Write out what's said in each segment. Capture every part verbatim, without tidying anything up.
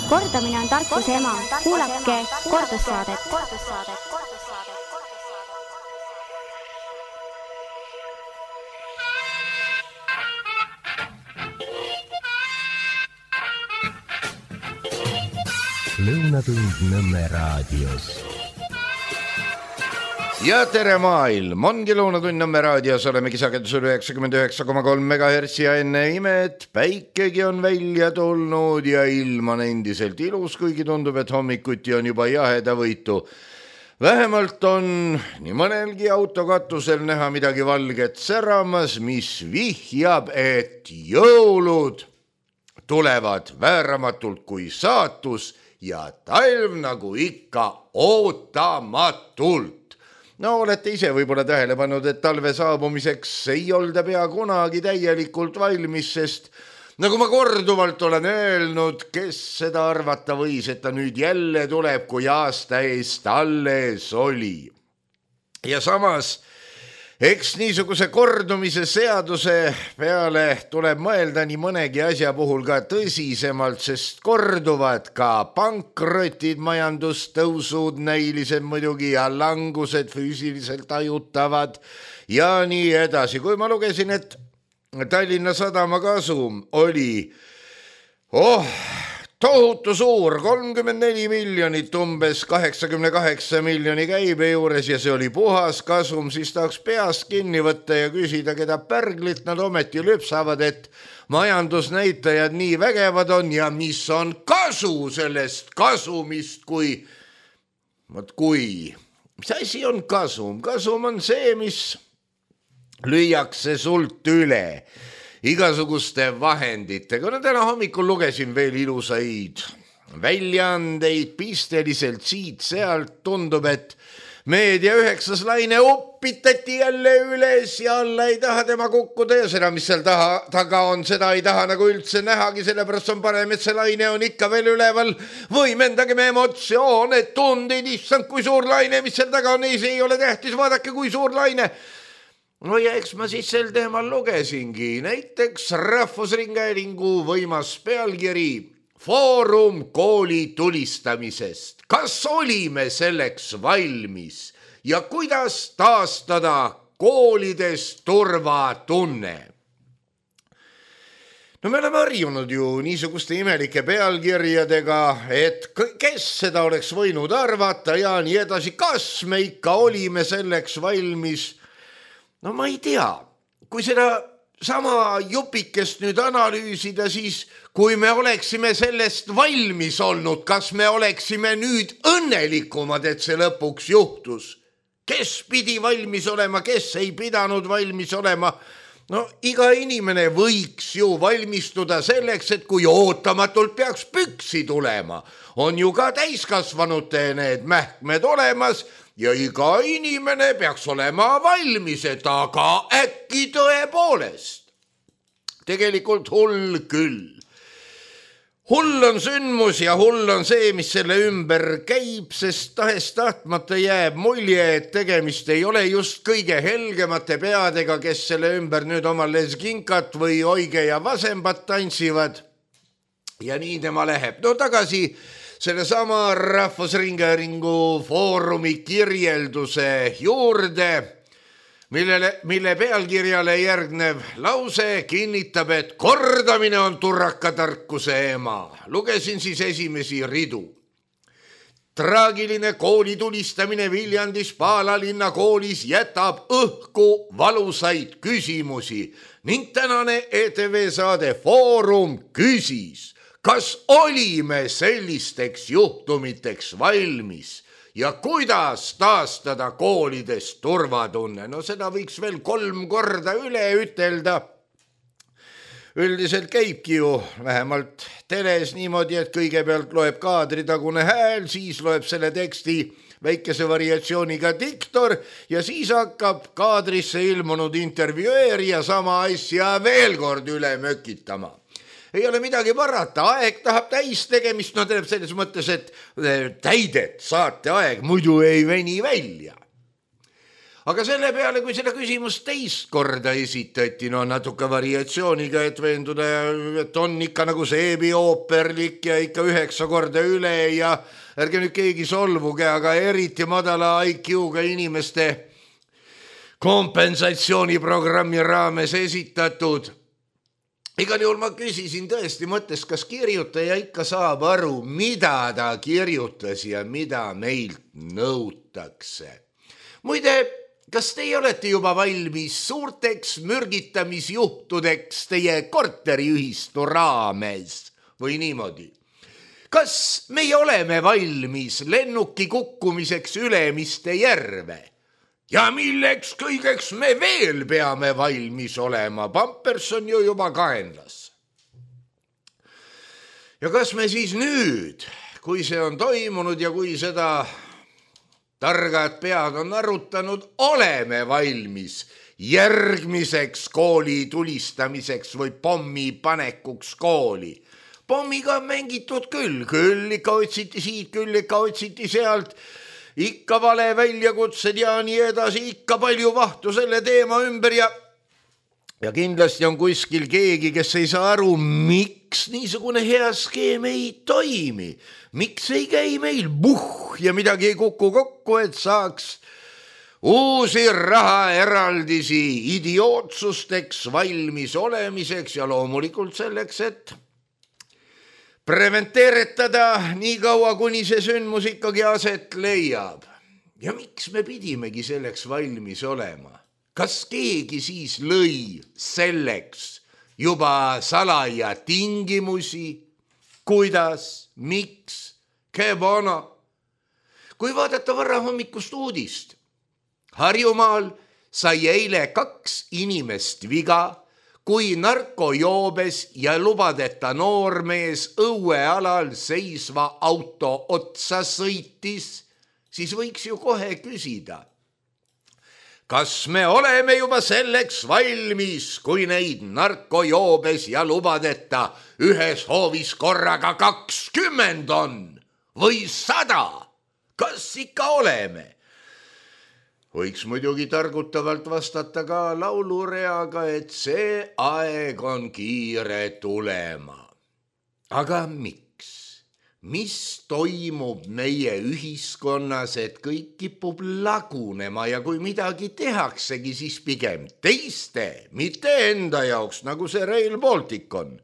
Kordamine on tarkuse ema. Kuulake kordussaadet. Lõunatund Nõmme raadios. Ja tere maailm, ongi Lõunatund Nõmme raadios, olemegi sagedusel üheksakümmend üheksa koma kolm megahertsi ja enne imet päikegi on välja tulnud ja ilm on endiselt ilus, kuigi tundub, et hommikuti on juba jaheda võitu. Vähemalt on nii mõnelgi autokatusel näha midagi valget säramas, mis vihjab, et jõulud tulevad vääramatult kui saatus ja talv nagu ikka ootamatult. No olete ise võib-olla tähele pannud, et talve saabumiseks ei olda pea kunagi täielikult valmis, sest nagu ma korduvalt olen öelnud, kes seda arvata võis, et ta nüüd jälle tuleb, kui aasta eest alles oli. Ja samas, eks niisuguse kordumise seaduse peale tuleb mõelda nii mõnegi asja puhul ka tõsisemalt, sest korduvad ka pankrotid, majandustõusud, näilised muidugi ja langused füüsiliselt ajutavad ja nii edasi. Kui ma lugesin, et Tallinna Sadama kasum oli oh, tohutu suur, kolmkümmend neli miljonit umbes kaheksakümne kaheksa miljoni käibe juures ja see oli puhas kasum, siis tahaks peast kinni võtta ja küsida, keda pärglit nad ometi lüpsavad, et majandusnäitajad nii vägevad on ja mis on kasu sellest kasumist, kui, mõt kui, mis asi on kasum? Kasum on see, mis lüüakse sult üle igasuguste vahenditega. No täna hommikul lugesin veel ilusaid väljaandeid pisteliselt siit-sealt. Tundub, et meedia üheksas laine uppitati jälle üles ja alla ei taha tema kukkuda ja seda, mis seal taha, taga on, seda ei taha nagu üldse nähagi, sellepärast on parem, et see laine on ikka veel üleval. Võimendagem emotsioone, tundid, issand, kui suur laine, mis seal taga on, ei, see ei ole tähtis, vaadake, kui suur laine. No ja eks ma siis sel teemal lugesingi, näiteks Rahvusringhäälingu võimas pealkiri Foorum kooli tulistamisest. Kas olime selleks valmis ja kuidas taastada koolides turvatunne? No me oleme harjunud ju niisuguste imelike pealkirjadega, et kes seda oleks võinud arvata ja nii edasi, kas me ikka olime selleks valmis? No ma ei tea, kui seda sama jupikest nüüd analüüsida, siis kui me oleksime sellest valmis olnud, kas me oleksime nüüd õnnelikumad, et see lõpuks juhtus? Kes pidi valmis olema, kes ei pidanud valmis olema? No iga inimene võiks ju valmistuda selleks, et kui ootamatult peaks püksi tulema, on ju ka täiskasvanute need mähkmed olemas, ja iga inimene peaks olema valmis, et aga äkki tõepoolest. Tegelikult hull küll. Hull on sündmus ja hull on see, mis selle ümber käib, sest tahes tahtmata jääb mulje, et tegemist ei ole just kõige helgemate peadega, kes selle ümber nüüd oma leskinkat või oige ja vasembat tantsivad. Ja nii tema läheb. No tagasi selle sama Rahvusringhäälingu foorumi kirjelduse juurde, millele, mille pealkirjale järgnev lause kinnitab, et kordamine on turrakatarkuse ema. Lugesin siis esimesi ridu. Traagiline kooli tulistamine Viljandis Paalalinna koolis jätab õhku valusaid küsimusi ning tänane E T V saade Foorum küsis, kas olime sellisteks juhtumiteks valmis ja kuidas taastada koolides turvatunne? No seda võiks veel kolm korda üle ütelda. Üldiselt käibki ju vähemalt teles niimoodi, et kõigepealt loeb kaadritagune hääl, siis loeb selle teksti väikese variatsiooniga diktor ja siis hakkab kaadrisse ilmunud intervjueerija sama asja veel kord üle mökitama. Ei ole midagi parata, aeg tahab täis tegemist, no teeb selles mõttes, et täidet saate aeg muidu ei veni välja. aga selle peale, kui seda küsimust teist korda esitati, no natuke variatsiooniga, et veenduda, et on ikka nagu seebiooperlik ja ikka üheksa korda üle ja ärge nüüd keegi solvuge, aga eriti madala I Q-ga inimeste kompensatsiooniprogrammi raames esitatud. Igal juhul ma küsisin tõesti mõttes, kas kirjutaja ikka saab aru, mida ta kirjutas ja mida meilt nõutakse. Muide, kas teie olete juba valmis suurteks mürgitamisjuhtudeks teie korteriühistu raames või niimoodi? Kas meie oleme valmis lennuki kukkumiseks Ülemiste järve? Ja milleks kõigeks me veel peame valmis olema? Pampers on ju juba kaenlas. Ja kas me siis nüüd, kui see on toimunud ja kui seda targad pead on arutanud, oleme valmis järgmiseks kooli tulistamiseks või pommi panekuks kooli? Pommiga on mängitud küll, küll ikka otsiti siit, küll ikka otsiti sealt, ikka vale väljakutsed ja nii edasi, ikka palju vahtu selle teema ümber ja ja kindlasti on kuskil keegi, kes ei saa aru, miks niisugune hea skeem ei toimi, miks ei käi meil buh ja midagi ei kuku kokku, et saaks uusi rahaeraldisi idiootsusteks valmis olemiseks ja loomulikult selleks, et preventeeretada nii kaua, kuni see sündmus ikkagi aset leiab. Ja miks me pidimegi selleks valmis olema? Kas keegi siis lõi selleks juba salaja tingimusi? Kuidas? Miks? Kebona? Kui vaadata varahommikust uudist, Harjumaal sai eile kaks inimest viga, kui narkojoobes ja lubadeta noormees õuealal seisva auto otsa sõitis, siis võiks ju kohe küsida, kas me oleme juba selleks valmis, kui neid narkojoobes ja lubadeta ühes hoovis korraga kakskümmend on või sada? Kas ikka oleme? Võiks muidugi targutavalt vastata ka laulureaga, et see aeg on kiire tulema. Aga miks? Mis toimub meie ühiskonnas, et kõik kipub lagunema ja kui midagi tehaksegi, siis pigem teiste, mitte enda jaoks, nagu see Rail Baltic on.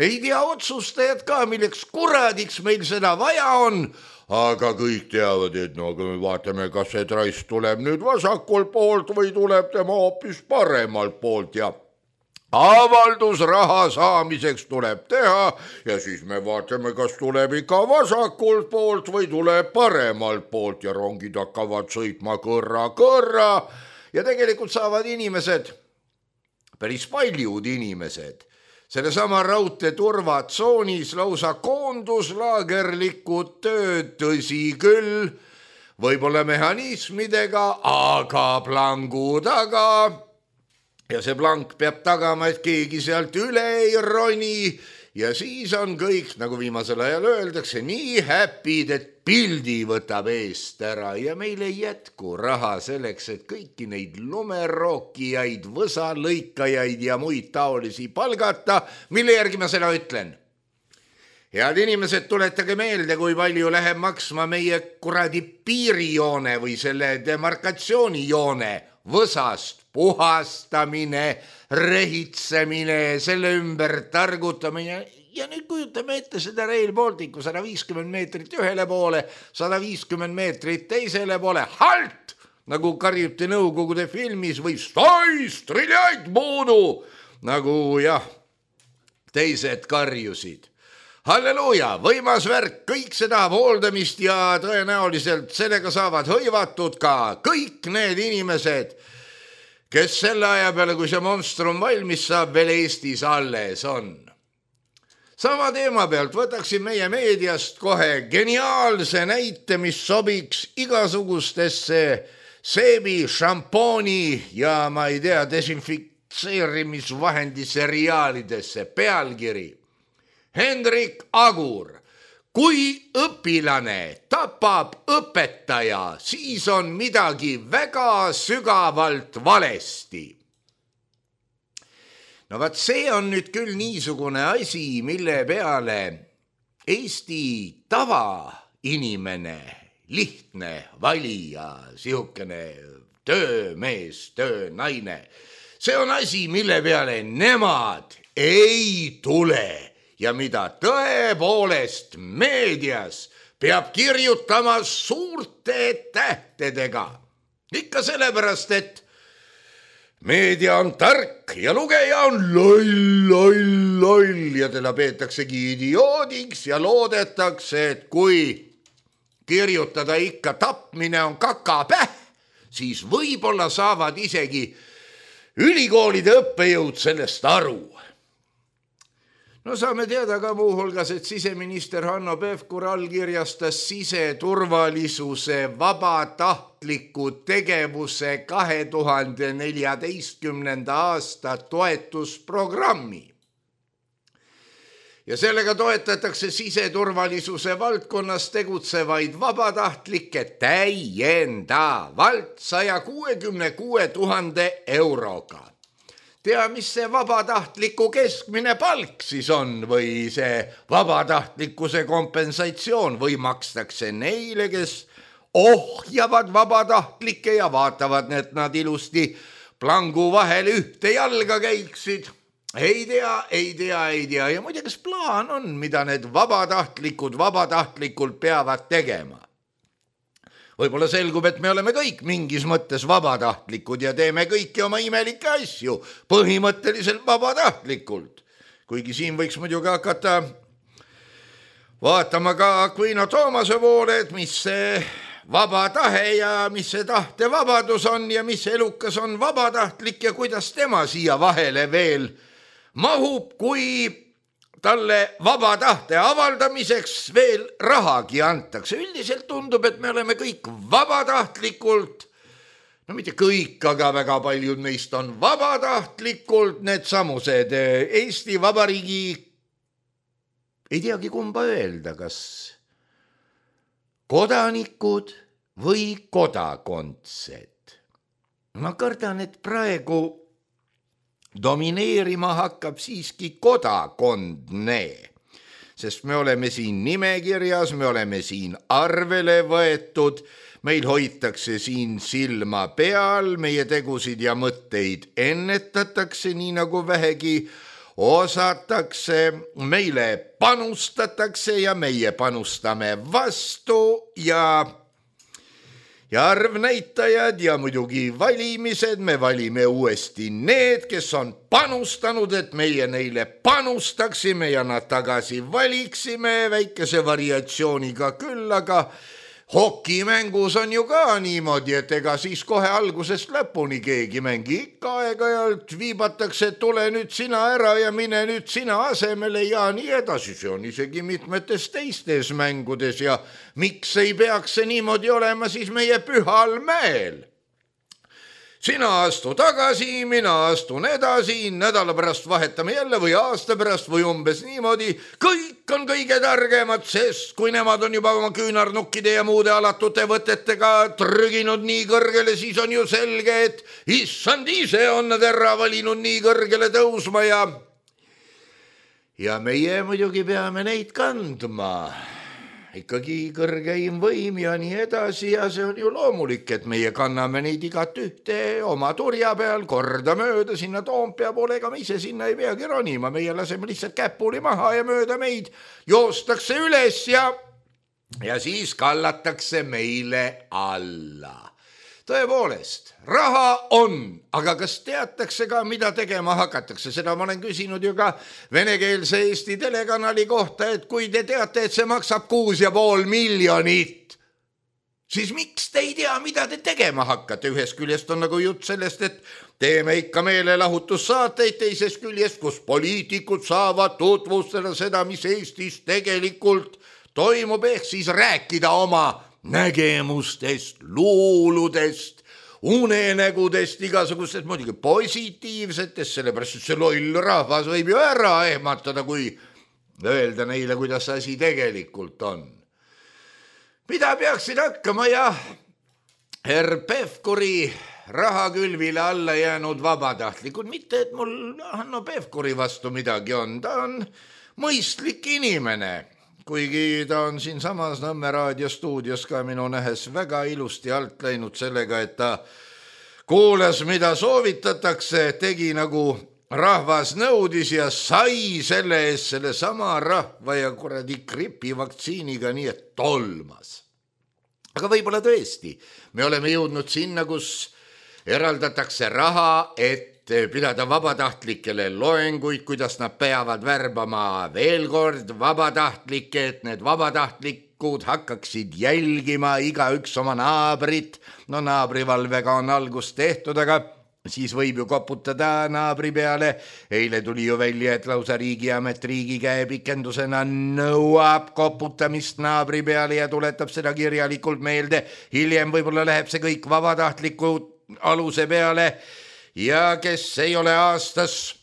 Ei tea otsustajad ka, milleks kuradiks meil seda vaja on, aga kõik teavad, et no kui me vaatame, kas see trass tuleb nüüd vasakul poolt või tuleb tema hoopis paremalt poolt ja avaldus raha saamiseks tuleb teha ja siis me vaatame, kas tuleb ikka vasakult poolt või tuleb paremalt poolt ja rongid hakkavad sõitma kõrra-kõrra ja tegelikult saavad inimesed, päris paljud inimesed, selle sama raudtee turvatsoonis lausa koonduslaagerlikud tööd, tõsi küll, võib-olla mehhanismidega, aga plangu taga. Ja see plank peab tagama, et keegi sealt üle ei roni ja siis on kõik, nagu viimasel ajal öeldakse, nii häpid, et pildi võtab eest ära ja meil ei jätku raha selleks, et kõiki neid lumerookijaid, võsalõikajaid ja muid taolisi palgata, mille järgi ma seda ütlen. Head inimesed, tuletage meelde, kui palju läheb maksma meie kuradi piirijoone või selle demarkatsioonijoone võsast puhastamine, rehitsemine, selle ümber targutamine ja nüüd kujutame ette seda Rail Balticu sada viiskümmend meetrit ühele poole, sada viiskümmend meetrit teisele poole, halt, nagu karjuti Nõukogude filmis või stoi, striljaid buudu, nagu jah, teised karjusid. Halleluuja, võimas värk, kõik seda hooldamist ja tõenäoliselt sellega saavad hõivatud ka kõik need inimesed, kes selle aja peale, kui see monstrum valmis saab, veel Eestis alles on. Sama teema pealt võtaksin meie meediast kohe geniaalse näite, mis sobiks igasugustesse seebi, šampooni ja ma ei tea, desinfitseerimisvahendi seriaalidesse. Pealkiri Hendrik Agur, kui õpilane tapab õpetaja, siis on midagi väga sügavalt valesti. No vaat see on nüüd küll niisugune asi, mille peale Eesti tavainimene, lihtne valija, sihukene töömees, töönaine, see on asi, mille peale nemad ei tule ja mida tõepoolest meedias peab kirjutama suurte tähtedega. Ikka sellepärast, et meedia on tark ja lugeja on loll, loll, loll ja teda peetaksegi idioodiks ja loodetakse, et kui kirjutada ikka tapmine on kakapäh, siis võib-olla saavad isegi ülikoolide õppejõud sellest aru. No saame teada ka muuhulgas, et siseminister Hanno Pevkur allkirjastas siseturvalisuse vabatahtliku tegevuse kahe tuhande neljateistkümnenda aasta toetusprogrammi. Ja sellega toetatakse siseturvalisuse valdkonnas tegutsevaid vabatahtlikke täiendavalt saja kuuekümne kuue tuhande euroga. Tea, mis see vabatahtliku keskmine palk siis on või see vabatahtlikkuse kompensatsioon või makstakse neile, kes ohjavad vabatahtlikke ja vaatavad, et nad ilusti plangu vahel ühte jalga käiksid. Ei tea, ei tea, ei tea ja muide, kas plaan on, mida need vabatahtlikud vabatahtlikult peavad tegema? Võib-olla selgub, et me oleme kõik mingis mõttes vabatahtlikud ja teeme kõiki oma imelikke asju põhimõtteliselt vabatahtlikult. Kuigi siin võiks muidugi hakata vaatama ka Aquino Toomase poole, et mis see vaba tahe ja mis see tahtevabadus on ja mis elukas on vabatahtlik ja kuidas tema siia vahele veel mahub, kui talle vaba tahte avaldamiseks veel rahagi antakse. Üldiselt tundub, et me oleme kõik vabatahtlikult, no mitte kõik, aga väga paljud meist on vabatahtlikult need samused Eesti Vabariigi, ei teagi kumba öelda, kas kodanikud või kodakondsed. Ma kardan, et praegu domineerima hakkab siiski kodakondne, sest me oleme siin nimekirjas, me oleme siin arvele võetud, meil hoitakse siin silma peal, meie tegusid ja mõtteid ennetatakse nii nagu vähegi osatakse, meile panustatakse ja meie panustame vastu ja Ja arvnäitajad ja muidugi valimised, me valime uuesti need, kes on panustanud, et meie neile panustaksime ja nad tagasi valiksime väikese variatsiooniga küll, aga hokimängus on ju ka niimoodi, et ega siis kohe algusest lõpuni keegi mängi ikka aeg-ajalt viibatakse, et tule nüüd sina ära ja mine nüüd sina asemele ja nii edasi. See on isegi mitmetes teistes mängudes ja miks ei peaks see niimoodi olema siis meie Pühal mäel? Sina astu tagasi, mina astun edasi, nädala pärast vahetame jälle või aasta pärast või umbes niimoodi. Kõik on kõige targemad, sest kui nemad on juba oma küünarnukkide ja muude alatute võtetega trüginud nii kõrgele, siis on ju selge, et issand ise on nad ära valinud nii kõrgele tõusma ja ja meie muidugi peame neid kandma. Ikkagi kõrgeim võim ja nii edasi ja see on ju loomulik, et meie kanname neid igat ühte oma turja peal korda mööda sinna Toompea poole, ega me ise sinna ei peagi ronima, meie laseme lihtsalt käpuli maha ja mööda meid joostakse üles ja, ja siis kallatakse meile alla. Tõepoolest, raha on, aga kas teatakse ka, mida tegema hakatakse? Seda ma olen küsinud ju ka venekeelse Eesti telekanali kohta, et kui te teate, et see maksab kuus ja pool miljonit, siis miks te ei tea, mida te tegema hakkate? Ühest küljest on nagu jutt sellest, et teeme ikka meelelahutussaateid, teisest küljest, kus poliitikud saavad tutvustada seda, mis Eestis tegelikult toimub, ehk siis rääkida oma nägemustest, luuludest, unenägudest, igasugustest muidugi positiivsetest, sellepärast, et see loll rahvas võib ju ära ehmatada, kui öelda neile, kuidas asi tegelikult on. Mida peaksid hakkama, jah, herr Pevkuri rahakülvile alla jäänud vabatahtlikud, mitte et mul Hanno Pevkuri vastu midagi on, ta on mõistlik inimene, kuigi ta on siin samas Nõmme raadiostuudios ka minu nähes väga ilusti alt läinud sellega, et ta kuulas, mida soovitatakse, tegi nagu rahvas nõudis ja sai selle eest selle sama rahva ja kuradi gripi vaktsiiniga, nii et tolmas. Aga võib-olla tõesti, me oleme jõudnud sinna, kus eraldatakse raha, et pidada vabatahtlikele loenguid, kuidas nad peavad värbama veel kord vabatahtlikke, et need vabatahtlikud hakkaksid jälgima igaüks oma naabrit. No naabrivalvega on algus tehtud, aga siis võib ju koputada naabri peale. Eile tuli ju välja, et lausa riigiamet riigi käe pikendusena nõuab koputamist naabri peale ja tuletab seda kirjalikult meelde. Hiljem võib-olla läheb see kõik vabatahtliku aluse peale ja kes ei ole aastas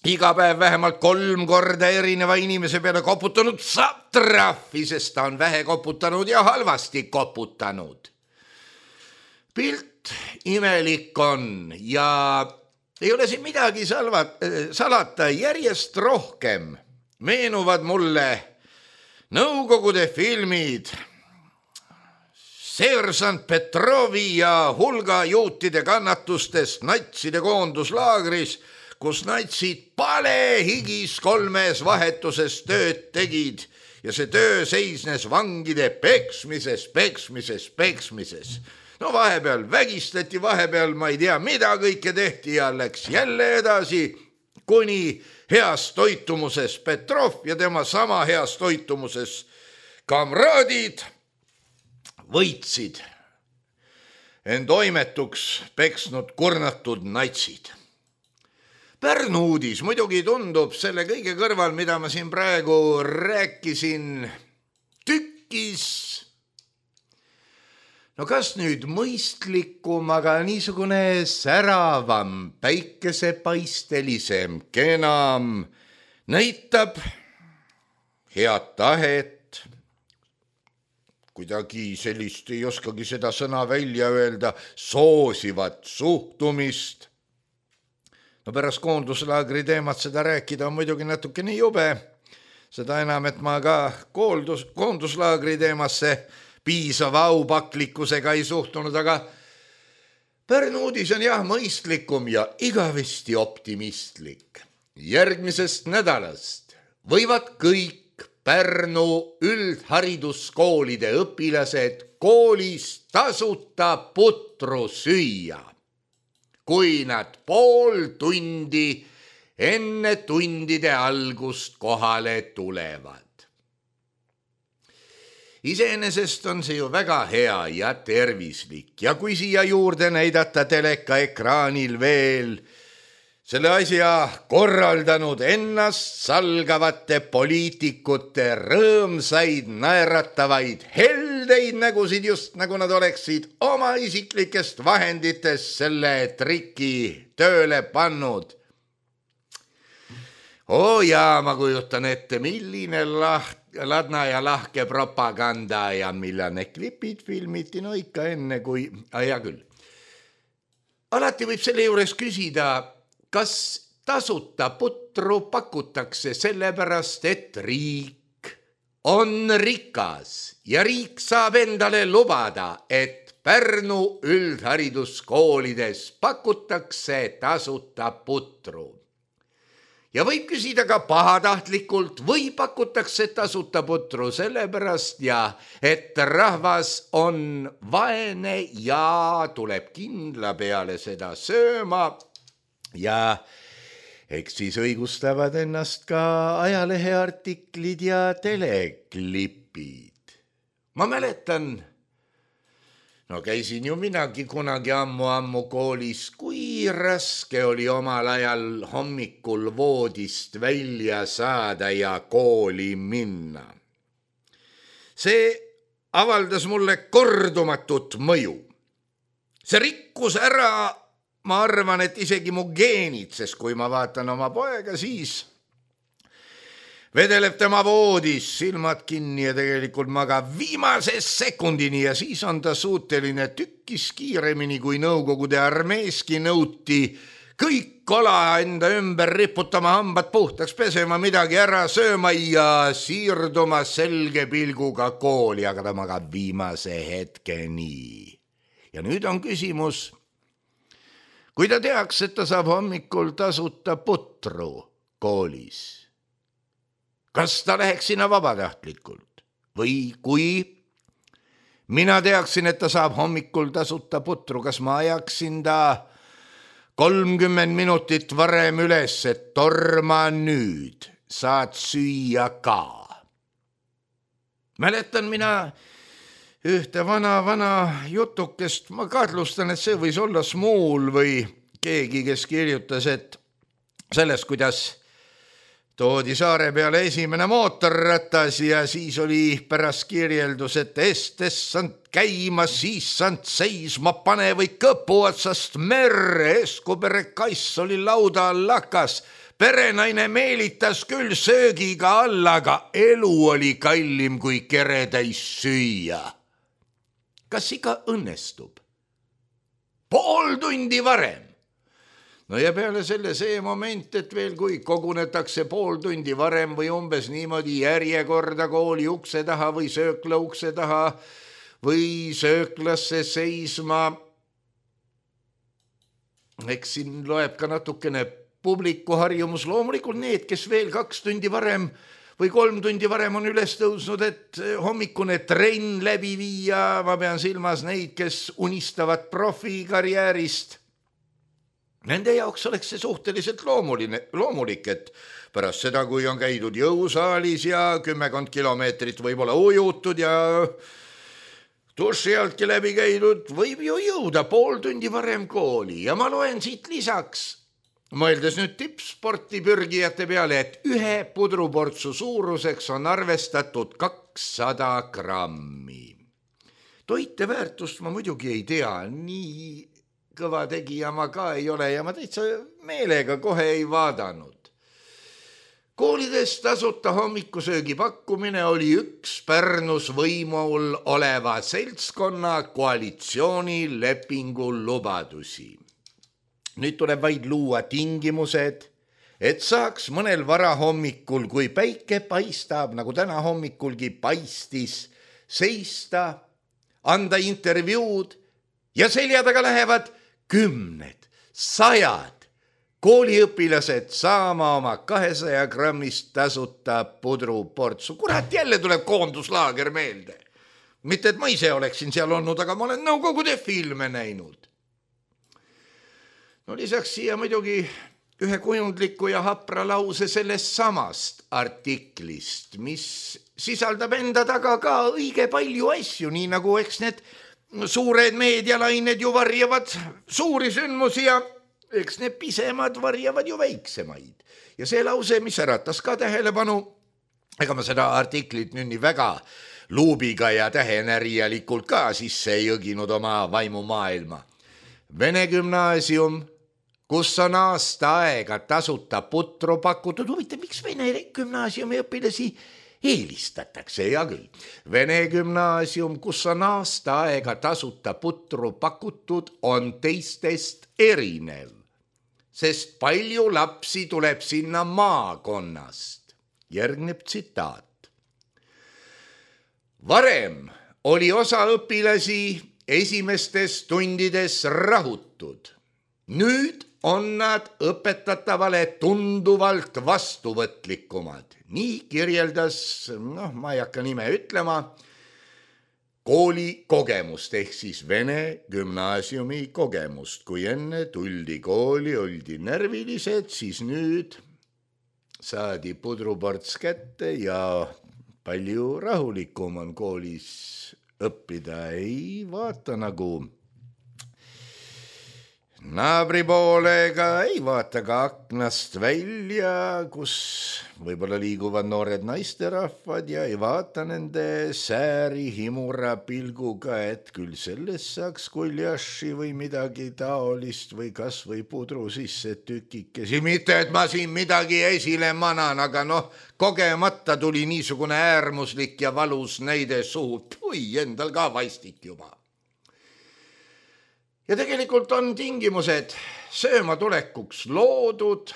iga päev vähemalt kolm korda erineva inimese peale koputanud, saab trahvi, sest ta on vähe koputanud ja halvasti koputanud. Pilt imelik on ja ei ole siin midagi salvat, salata, järjest rohkem meenuvad mulle Nõukogude filmid Sersant Petrovi ja hulga juutide kannatustest natside koonduslaagris, kus natsid palehigis kolmes vahetuses tööd tegid ja see töö seisnes vangide peksmises, peksmises, peksmises. No vahepeal vägistati, vahepeal ma ei tea, mida kõike tehti ja läks jälle edasi, kuni heas toitumuses Petrov ja tema sama heas toitumuses kamraadid võitsid end oimetuks peksnud kurnatud natsid. Pärnu uudis muidugi tundub selle kõige kõrval, mida ma siin praegu rääkisin, tükkis no kas nüüd mõistlikum, aga niisugune säravam, päikesepaistelisem, kenam, näitab head tahet, kuidagi sellist, ei oskagi seda sõna välja öelda, soosivat suhtumist. No pärast koonduslaagri teemat seda rääkida on muidugi natukene jube, seda enam, et ma ka kooldus, koonduslaagri teemasse piisava aupaklikkusega ei suhtunud, aga Pärnu uudis on jah mõistlikum ja igavesti optimistlik. Järgmisest nädalast võivad kõik Pärnu üldhariduskoolide õpilased koolis tasuta putru süüa, kui nad pool tundi enne tundide algust kohale tulevad. Iseenesest on see ju väga hea ja tervislik ja kui siia juurde näidata teleka ekraanil veel selle asja korraldanud ennast salgavate poliitikute rõõmsaid, naeratavaid, heldeid nägusid, just nagu nad oleksid oma isiklikest vahenditest selle triki tööle pannud. Oo jaa, ma kujutan ette, milline laht, ladna ja lahke propaganda ja millane klipid filmiti, no ikka enne kui, hea küll. Alati võib selle juures küsida, kas tasuta putru pakutakse sellepärast, et riik on rikas ja riik saab endale lubada, et Pärnu üldhariduskoolides pakutakse tasuta putru. Ja võib küsida ka pahatahtlikult või pakutakse tasuta putru sellepärast ja et rahvas on vaene ja tuleb kindla peale seda sööma ja eks siis õigustavad ennast ka ajaleheartiklid ja teleklipid. Ma mäletan, no käisin ju minagi kunagi ammu-ammu koolis, kui raske oli omal ajal hommikul voodist välja saada ja kooli minna. See avaldas mulle kordumatut mõju. See rikkus ära, ma arvan, et isegi mu geenid, sest kui ma vaatan oma poega, siis vedeleb tema voodis, silmad kinni ja tegelikult magab viimase sekundini ja siis on ta suuteline tükkis kiiremini kui Nõukogude armeeski nõuti kõik kola enda ümber riputama, hambad puhtaks pesema, midagi ära sööma ja siirduma selge pilguga kooli, aga ta magab viimase hetkeni. Ja nüüd on küsimus, kui ta teaks, et ta saab hommikul tasuta putru koolis, kas ta läheks sinna vabatahtlikult või kui mina teaksin, et ta saab hommikul tasuta putru, kas ma ajaksin ta kolmkümmend minutit varem üles, et torma nüüd, saad süüa ka. Mäletan mina ühte vana, vana jutukest, ma kahtlustan, et see võis olla Smuul või keegi, kes kirjutas, et sellest, kuidas toodi saare peale esimene mootorratas ja siis oli pärast kirjeldus, et estes sant käima, siis sant seisma pane või kõpu otsast merre, Eskubere kass oli lauda all lakas, perenaine meelitas küll söögiga alla, aga elu oli kallim kui keretäis süüa. Kas ikka õnnestub? Pool tundi varem. No ja peale selle see moment, et veel kui kogunetakse pool tundi varem või umbes niimoodi järjekorda kooli ukse taha või söökla ukse taha või sööklasse seisma. Eks siin loeb ka natukene publiku harjumus. Loomulikult need, kes veel kaks tundi varem või kolm tundi varem on üles tõusnud, et hommikune trenn läbi viia. Ma pean silmas neid, kes unistavad profikarjäärist. Nende jaoks oleks see suhteliselt loomuline, loomulik, et pärast seda, kui on käidud jõusaalis ja kümmekond kilomeetrit võib-olla ujutud ja duši altki läbi käidud, võib ju jõuda pool tundi varem kooli. Ja ma loen siit lisaks, mõeldes nüüd tippsporti pürgijate peale, et ühe pudruportsu suuruseks on arvestatud kakssada grammi. Toiteväärtust ma muidugi ei tea, nii kõva tegija ma ka ei ole ja ma täitsa meelega kohe ei vaadanud. Koolides tasuta hommikusöögi pakkumine oli üks Pärnus võimul oleva seltskonna koalitsioonilepingu lubadusi. Nüüd tuleb vaid luua tingimused, et saaks mõnel varahommikul, kui päike paistab, nagu täna hommikulgi paistis, seista, anda intervjuud ja selja taga lähevad kümned, sajad kooliõpilased saama oma kahesaja grammist tasuta pudruportsu. Kurat, jälle tuleb koonduslaager meelde. Mitte, et ma ise oleksin seal olnud, aga ma olen Nõukogude filme näinud. No lisaks siia muidugi ühe kujundliku ja hapra lause sellest samast artiklist, mis sisaldab enda taga ka õige palju asju, nii nagu eks need suured meedialained ju varjavad suuri sündmusi ja eks need pisemad varjavad ju väiksemaid. Ja see lause, mis äratas ka tähelepanu, ega ma seda artiklit nüüd nii väga luubiga ja tähenärijalikult ka sisse ei jõginud oma vaimumaailma. Vene gümnaasium, kus on aasta aega tasuta putru pakutud. Huvitav, miks Vene gümnaasiumi õpilasi eelistatakse, hea küll. Vene gümnaasium, kus on aasta aega tasuta putru pakutud, on teistest erinev, sest palju lapsi tuleb sinna maakonnast. Järgneb tsitaat. Varem oli osa õpilasi esimestes tundides rahutud. Nüüd on nad õpetatavale tunduvalt vastuvõtlikumad. Nii kirjeldas, noh, ma ei hakka nime ütlema, kooli kogemust, ehk siis Vene gümnaasiumi kogemust. Kui enne tuldi kooli, oldi närvilised, siis nüüd saadi pudruports kätte ja palju rahulikum on koolis õppida. Ei vaata nagu naabri poole ka ei vaata ka aknast välja, kus võib-olla liiguvad noored naisterahvad ja ei vaata nende sääri himura pilguga, et küll sellest saaks kuljaši või midagi taolist või kas või pudru sisse tükikesi. Mitte, et ma siin midagi esile manan, aga noh, kogemata tuli niisugune äärmuslik ja valus näide suhu. Pui, endal ka vaistik juba. Ja tegelikult on tingimused sööma tulekuks loodud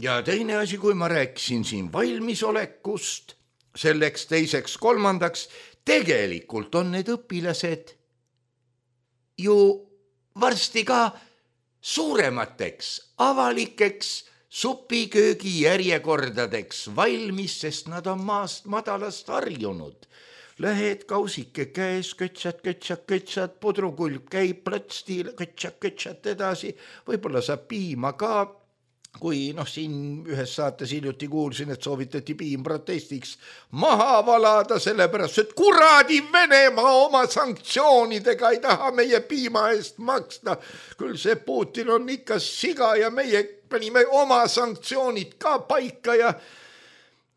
ja teine asi, kui ma rääkisin siin valmisolekust, selleks teiseks kolmandaks, tegelikult on need õpilased ju varsti ka suuremateks avalikeks supiköögi järjekordadeks valmis, sest nad on maast madalast harjunud. Lähed kausike käes, kötsad, kötsad, kötsad, pudrukulp käib plõtsti, kötsad, kötsad edasi, võib-olla saab piima ka, kui noh, siin ühes saates hiljuti kuulsin, et soovitati piim protestiks maha valada, sellepärast, et kuradi Venemaa oma sanktsioonidega ei taha meie piima eest maksta. Küll see Putin on ikka siga ja meie panime oma sanktsioonid ka paika ja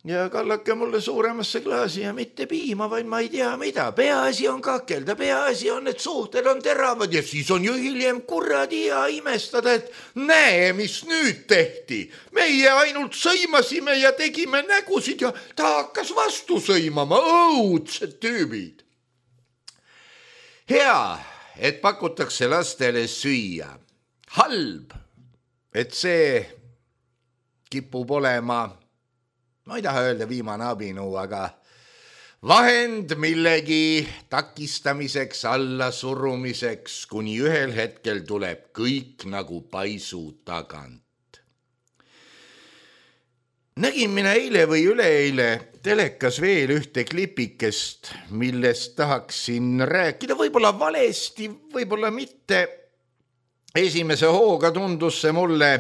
Ja kallake mulle suuremasse klaasi ja mitte piima, vaid ma ei tea mida. Peaasi on kakelda, peaasi on, et suhted on teravad ja siis on ju hiljem kuradi ja imestada, et näe, mis nüüd tehti. Meie ainult sõimasime ja tegime nägusid ja ta hakkas vastu sõimama, õudsed tüübid. Hea, et pakutakse lastele süüa. Halb, et see kipub olema... Ma ei taha öelda viimane abinõu, aga vahend millegi takistamiseks, alla surumiseks, kuni ühel hetkel tuleb kõik nagu paisu tagant. Nägin mina eile või üleeile telekas veel ühte klipikest, millest tahaksin rääkida, võib-olla valesti, võib-olla mitte. Esimese hooga tundus see mulle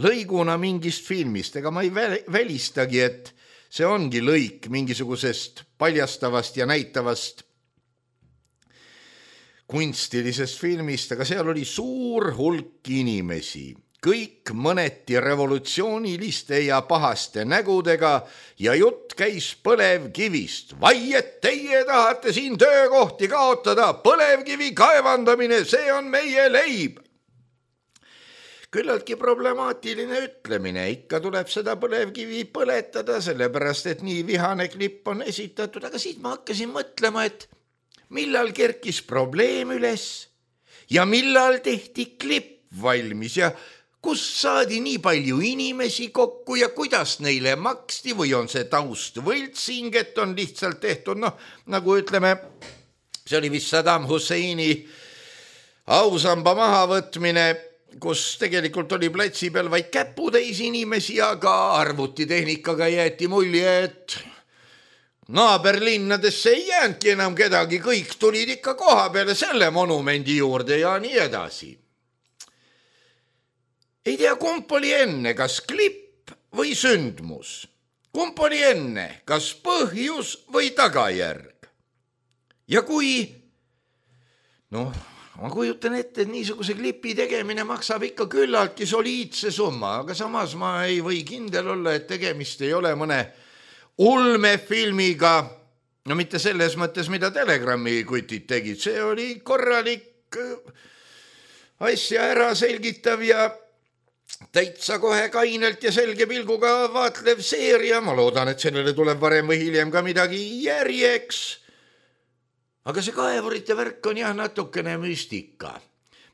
lõiguna mingist filmist, ega ma ei välistagi, et see ongi lõik mingisugusest paljastavast ja näitavast kunstilisest filmist, aga seal oli suur hulk inimesi, kõik mõneti revolutsiooniliste ja pahaste nägudega ja jutt käis põlevkivist. Vai, et teie tahate siin töökohti kaotada, põlevkivi kaevandamine, see on meie leib. Küllaltki problemaatiline ütlemine, ikka tuleb seda põlevkivi põletada, sellepärast, et nii vihane klipp on esitatud, aga siit ma hakkasin mõtlema, et millal kerkis probleem üles ja millal tehti klipp valmis ja kus saadi nii palju inimesi kokku ja kuidas neile maksti või on see taust võltsing, et on lihtsalt tehtud, noh, nagu ütleme, see oli vist Saddam Husseini ausamba mahavõtmine, kus tegelikult oli platsi peal vaid käputäis inimesi, aga arvutitehnikaga jäeti mulje, et naaberlinnadesse ei jäänudki enam kedagi, kõik tulid ikka koha peale selle monumendi juurde ja nii edasi. Ei tea, kump oli enne, kas klipp või sündmus? Kump oli enne, kas põhjus või tagajärg? Ja kui, noh, ma kujutan ette, et niisuguse klipi tegemine maksab ikka küllaltki soliidse summa, aga samas ma ei või kindel olla, et tegemist ei ole mõne ulmefilmiga, no mitte selles mõttes, mida Telegrami kutid tegid, see oli korralik asja ära selgitav ja täitsa kohe kainelt ja selge pilguga vaatlev seeria, ma loodan, et sellele tuleb varem või hiljem ka midagi järjeks. Aga see kaevurite värk on jah natukene müstika.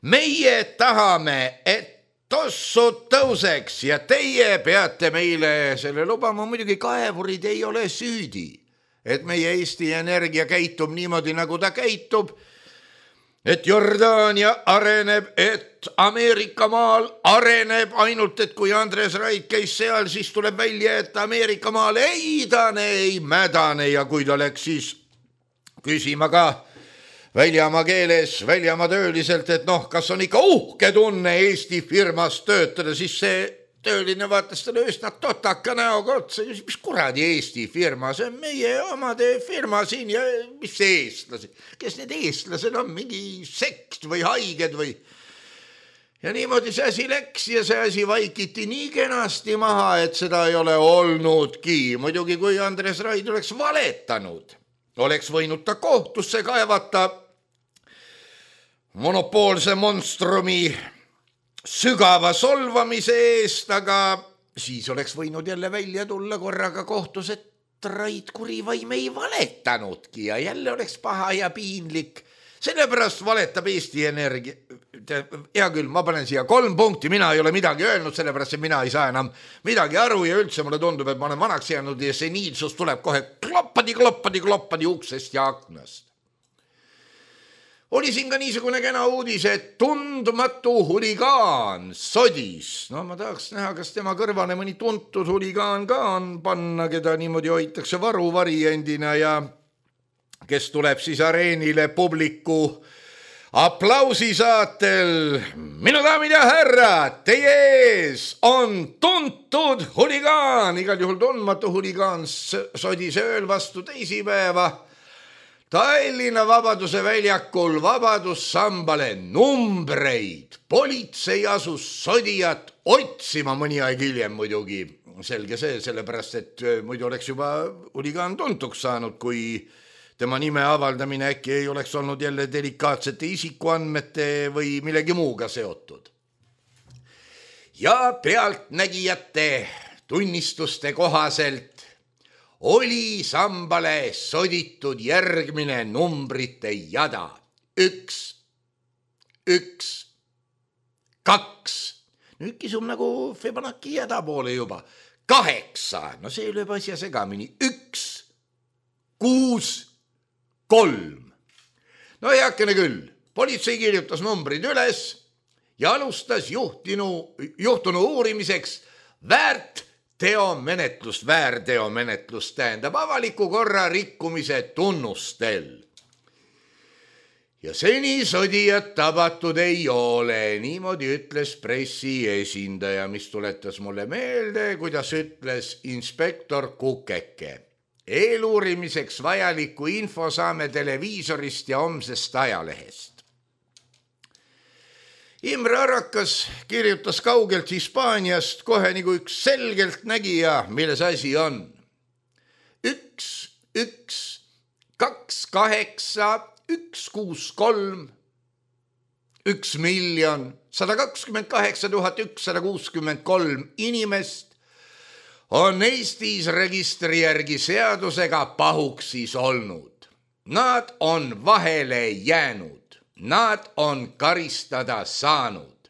Meie tahame, et tossud tõuseks ja teie peate meile selle lubama. Muidugi kaevurid ei ole süüdi, et meie Eesti Energia käitub niimoodi, nagu ta käitub. Et Jordaania areneb, et Ameerika maal areneb, ainult et kui Andres Rait käis seal, siis tuleb välja, et Ameerika maal ei idane, ei mädane ja kui ta läks siis küsima ka väljamaa keeles, väljamaa tööliselt, et noh, kas on ikka uhke tunne Eesti firmas töötada, siis see tööline vaatas talle üsna totaka näoga otsa, mis kuradi Eesti firma, see on meie omade firma siin ja mis eestlasi, kes need eestlased on, mingi sekt või haiged või Ja niimoodi see asi läks ja see asi vaikiti nii kenasti maha, et seda ei ole olnudki. Muidugi kui Andres Raid oleks valetanud, oleks võinud ta kohtusse kaevata monopoolse monstrumi sügava solvamise eest, aga siis oleks võinud jälle välja tulla korraga kohtus, et Raid Kurivaim ei valetanudki ja jälle oleks paha ja piinlik. Sellepärast valetab Eesti Energia. Hea küll, ma panen siia kolm punkti, mina ei ole midagi öelnud, sellepärast et mina ei saa enam midagi aru ja üldse mulle tundub, et ma olen vanaks jäänud ja seniilsus tuleb kohe kloppadi, kloppadi, kloppadi uksest ja aknast. Oli siin ka niisugune kena uudis, et tundmatu huligaan sodis. No ma tahaks näha, kas tema kõrvane mõni tuntud huligaan ka on panna, keda niimoodi hoitakse varu variendina ja kes tuleb siis areenile publiku aplausi saatel. Minu daamid ja härrad, teie ees on tuntud huligaan, igal juhul tundmatu huligaan sodis ööl vastu teisipäeva Tallinna Vabaduse väljakul Vabadussambale numbreid. Politsei asus sodijat otsima mõni aeg hiljem muidugi. Selge see, sellepärast, et muidu oleks juba huligaan tuntuks saanud, kui tema nime avaldamine äkki ei oleks olnud jälle delikaatsete isikuandmete või millegi muuga seotud. Ja pealtnägijate tunnistuste kohaselt oli sambale soditud järgmine numbrite jada. Üks, üks, kaks. Nüüd kisum nagu Fibonacci jada poole juba. Kaheksa. No see lööb asja segamini. Üks, kuus, kolm. No heakene küll. Politsei kirjutas numbrid üles ja alustas juhtinu, juhtunu uurimiseks väärt teomenetlust, väärteomenetlust tähendab avaliku korra rikkumise tunnustel. Ja seni sodijat tabatud ei ole, niimoodi ütles pressi esindaja, mis tuletas mulle meelde, kuidas ütles inspektor Kukeke. Eeluurimiseks vajaliku info saame televiisorist ja homsest ajalehest. Imre Arakas kirjutas kaugelt Hispaaniast kohe nagu üks selgelt nägija, milles asi on. Üks, üks, kaks, kaheksa, üks, kuus, kolm, üks miljon, sada kakskümmend kaheksa tuhat ükssada kuuskümmend kolm inimest on Eestis registri järgi seadusega pahuksis olnud. Nad on vahele jäänud. Nad on karistada saanud.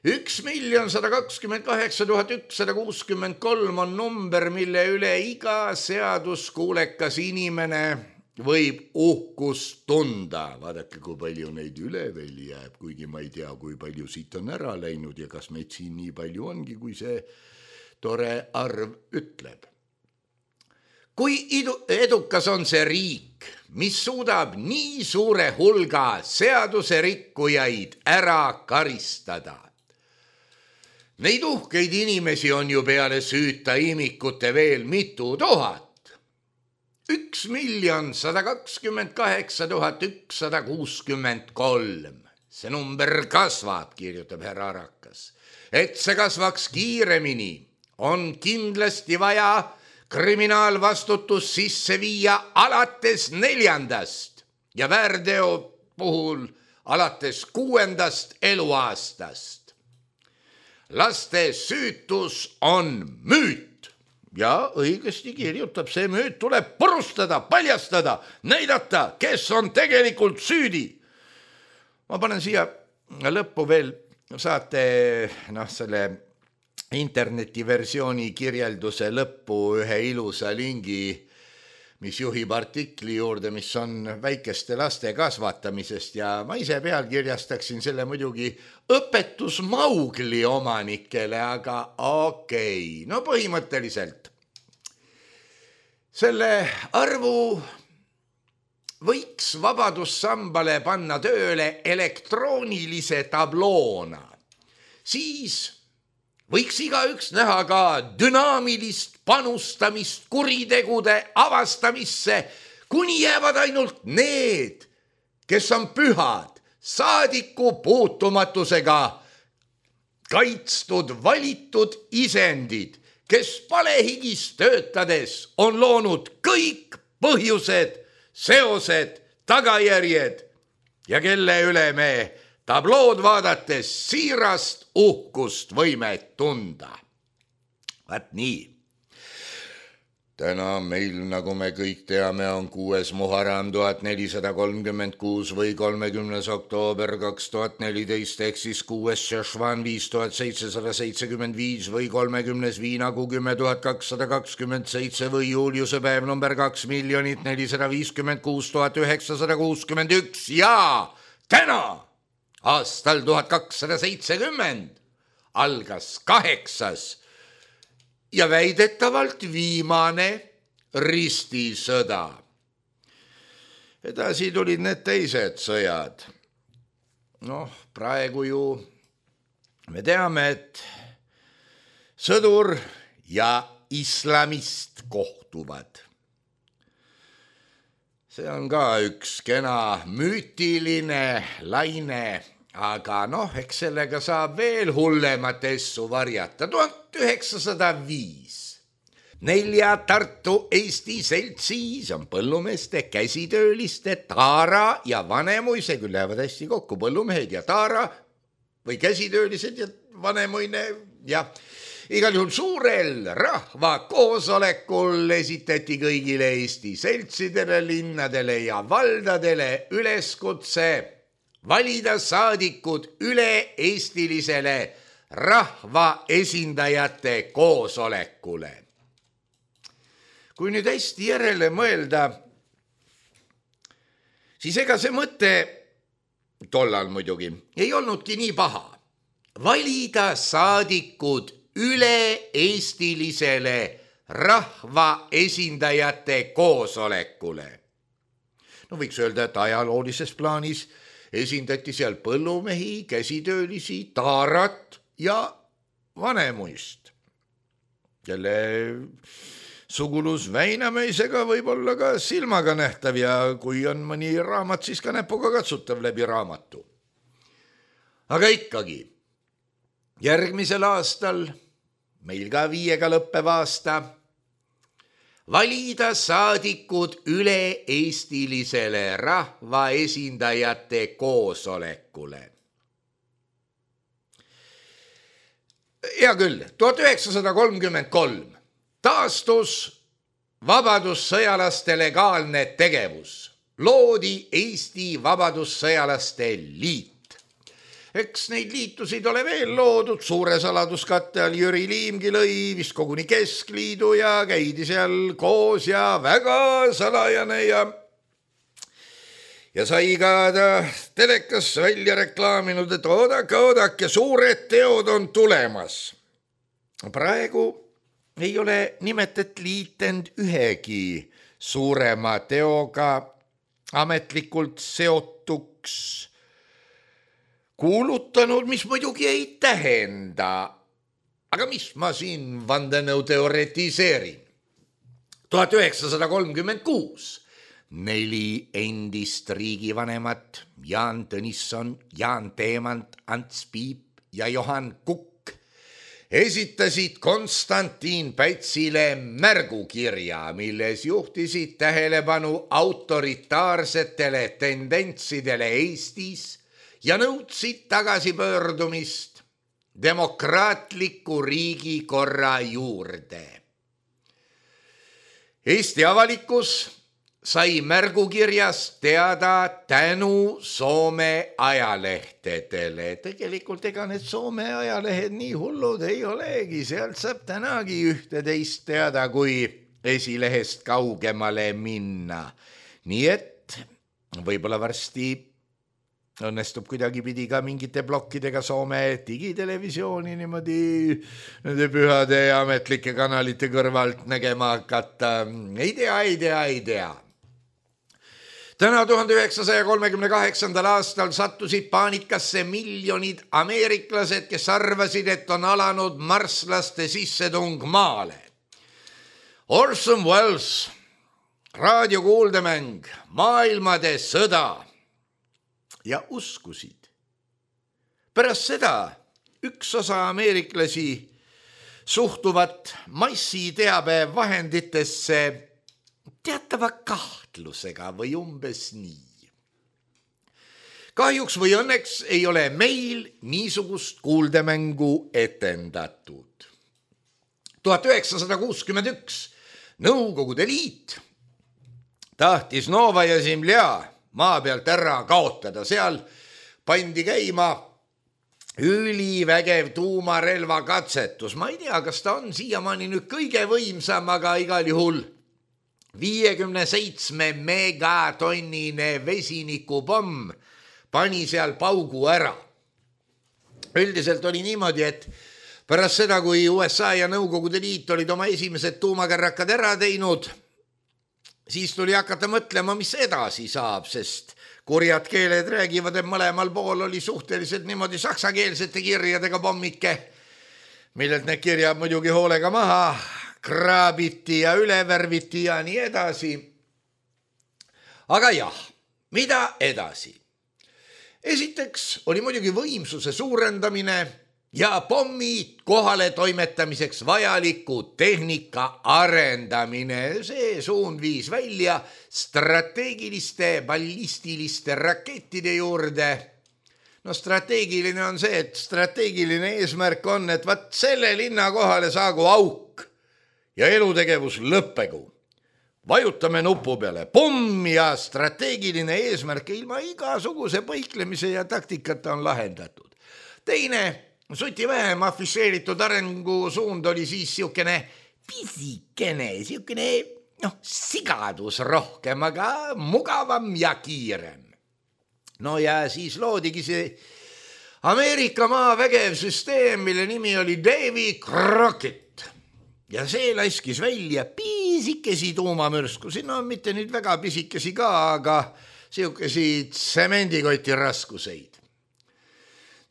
Üks miljon sada kakskümmend kaheksa tuhat ükssada kuuskümmend kolm on number, mille üle iga seaduskuulekas inimene võib uhkust tunda. Vaadake, kui palju neid üle veel jääb, kuigi ma ei tea, kui palju siit on ära läinud ja kas meid siin nii palju ongi, kui see tore arv ütleb. Kui edukas on see riik, mis suudab nii suure hulga seaduse rikkujaid ära karistada? Neid uhkeid inimesi on ju peale süüta imikute veel mitu tuhat. Üks miljon sada kakskümmend kaheksa tuhat ükssada kuuskümmend kolm. See number kasvab, kirjutab härra Arakas. Et see kasvaks kiiremini, on kindlasti vaja kriminaalvastutus sisse viia alates neljandast ja väärteo puhul alates kuuendast eluaastast. Laste süütus on müüt ja õigesti kirjutab, see müüt tuleb purustada, paljastada, näidata, kes on tegelikult süüdi. Ma panen siia lõppu veel saate noh, selle internetiversiooni kirjelduse lõppu ühe ilusa lingi, mis juhib artikli juurde, mis on väikeste laste kasvatamisest ja ma ise pealkirjastaksin selle muidugi õpetus Maugli omanikele, aga okei, okay. No põhimõtteliselt selle arvu võiks Vabadussambale panna tööle elektroonilise tabloona. Siis võiks igaüks näha ka dünaamilist panustamist kuritegude avastamisse, kuni jäävad ainult need, kes on pühad, saadiku puutumatusega kaitstud valitud isendid, kes palehigis töötades on loonud kõik põhjused, seosed, tagajärjed ja kelle üle me tablood vaadates siirast uhkust võime tunda. Vaat nii. Täna meil, nagu me kõik teame, on kuues Muharram tuhat nelisada kolmkümmend kuus või kolmekümnes oktoober kaks tuhat neliteist ehk siis kuues Šešvan viis tuhat seitsesada seitsekümmend viis või kolmekümnes Viinakuu kümme tuhat kakssada kakskümmend seitse või Juuliuse päev number kaks miljonit nelisada viiskümmend kuus tuhat üheksasada kuuskümmend üks ja täna aastal tuhat kakssada seitsekümmend algas kaheksas ja väidetavalt viimane ristisõda. Edasi tulid need teised sõjad. Noh, praegu ju me teame, et sõdur ja islamist kohtuvad. See on ka üks kena müütiline laine, aga noh, eks sellega saab veel hullemat essu varjata. tuhat üheksasada viis. Nelja Tartu Eesti seltsis on põllumeeste, käsitööliste, Taara ja Vanemuise, küll lähevad hästi kokku, põllumehed ja Taara või käsitöölised ja Vanemuine ja igal juhul suurel rahvakoosolekul esitati kõigile Eesti seltsidele, linnadele ja valdadele üleskutse valida saadikud üle-eestilisele rahvaesindajate koosolekule. Kui nüüd hästi järele mõelda, siis ega see mõte, tollal muidugi, ei olnudki nii paha. Valida saadikud üle-eestilisele rahvaesindajate koosolekule. No võiks öelda, et ajaloolises plaanis esindati seal põllumehi, käsitöölisi, Taarat ja Vanemuist, kelle sugulus Väinamäisega võib olla ka silmaga nähtav ja kui on mõni raamat, siis ka näpuga katsutav läbi raamatu. Aga ikkagi, järgmisel aastal, meil ka viiega lõppev aasta, valida saadikud üle-eestilisele rahvaesindajate koosolekule. Hea küll, tuhat üheksasada kolmkümmend kolm taastus vabadussõjalaste legaalne tegevus. Loodi Eesti Vabadussõjalaste Liit. Eks neid liitusid ole veel loodud, suure saladuskatte all Jüri Liimgi lõi vist koguni Keskliidu ja käidi seal koos ja väga salajane ja ja sai ka ta telekas välja reklaaminud, et oodake, oodake, suured teod on tulemas. Praegu ei ole nimetet liitend ühegi suurema teoga ametlikult seotuks kuulutanud, mis muidugi ei tähenda. Aga mis ma siin vandenõu teoretiseerin? tuhat üheksasada kolmkümmend kuus neli endist riigivanemat, Jaan Tõnisson, Jaan Teemant, Ants Piip ja Johan Kukk esitasid Konstantin Pätsile märgukirja, milles juhtisid tähelepanu autoritaarsetele tendentsidele Eestis ja nõudsid tagasipöördumist demokraatliku riigikorra juurde. Eesti avalikkus sai märgukirjast teada tänu Soome ajalehtedele. Tegelikult ega need Soome ajalehed nii hullud ei olegi, sealt saab tänagi ühte teist teada, kui esilehest kaugemale minna. Nii et võib-olla varsti õnnestub kuidagipidi ka mingite plokkidega Soome digitelevisiooni niimoodi nende pühade ja ametlike kanalite kõrvalt nägema hakata. Ei tea, ei tea, ei tea. Täna tuhande üheksasaja kolmekümne kaheksandal aastal sattusid paanikasse miljonid ameeriklased, kes arvasid, et on alanud marslaste sissetung maale. Orson Welles, raadiokuuldemäng, maailmade sõda ja uskusid. Pärast seda üks osa ameeriklasi suhtuvat massiteabe vahenditesse teatava kahtlusega või umbes nii. Kahjuks või õnneks ei ole meil niisugust kuuldemängu etendatud. tuhat üheksasada kuuskümmend üks Nõukogude Liit tahtis Novaja Zemlja maa pealt ära kaotada. Seal pandi käima ülivägev tuumarelva katsetus. Ma ei tea, kas ta on siiamaani nüüd kõige võimsam, aga igal juhul viiekümne seitsme megatonnine vesinikupomm pani seal paugu ära. Üldiselt oli niimoodi, et pärast seda, kui U S A ja Nõukogude Liit olid oma esimesed tuumakärrakad ära teinud, siis tuli hakata mõtlema, mis edasi saab, sest kurjad keeled räägivad, et mõlemal pool oli suhteliselt niimoodi saksakeelsete kirjadega pommike, millelt need kirjad muidugi hoolega maha kraabiti ja ülevärviti ja nii edasi. Aga jah, mida edasi? Esiteks oli muidugi võimsuse suurendamine ja pommi kohale toimetamiseks vajaliku tehnika arendamine. See suund viis välja strateegiliste ballistiliste rakettide juurde. No strateegiline on see, et strateegiline eesmärk on, et vaat selle linna kohale saagu auk ja elutegevus lõppegu. Vajutame nupu peale, pomm ja strateegiline eesmärk ilma igasuguse põiklemise ja taktikata on lahendatud. Teine, suti vähem afišeeritud arengusuund oli siis siukene pisikene, siukene noh, sigadus rohkem, aga mugavam ja kiirem. No ja siis loodigi see Ameerika maavägev süsteem, mille nimi oli Davy Crockett. Ja see laskis välja pisikesi tuumamürskusi, no mitte nüüd väga pisikesi ka, aga siukesi tsemendikoti raskuseid.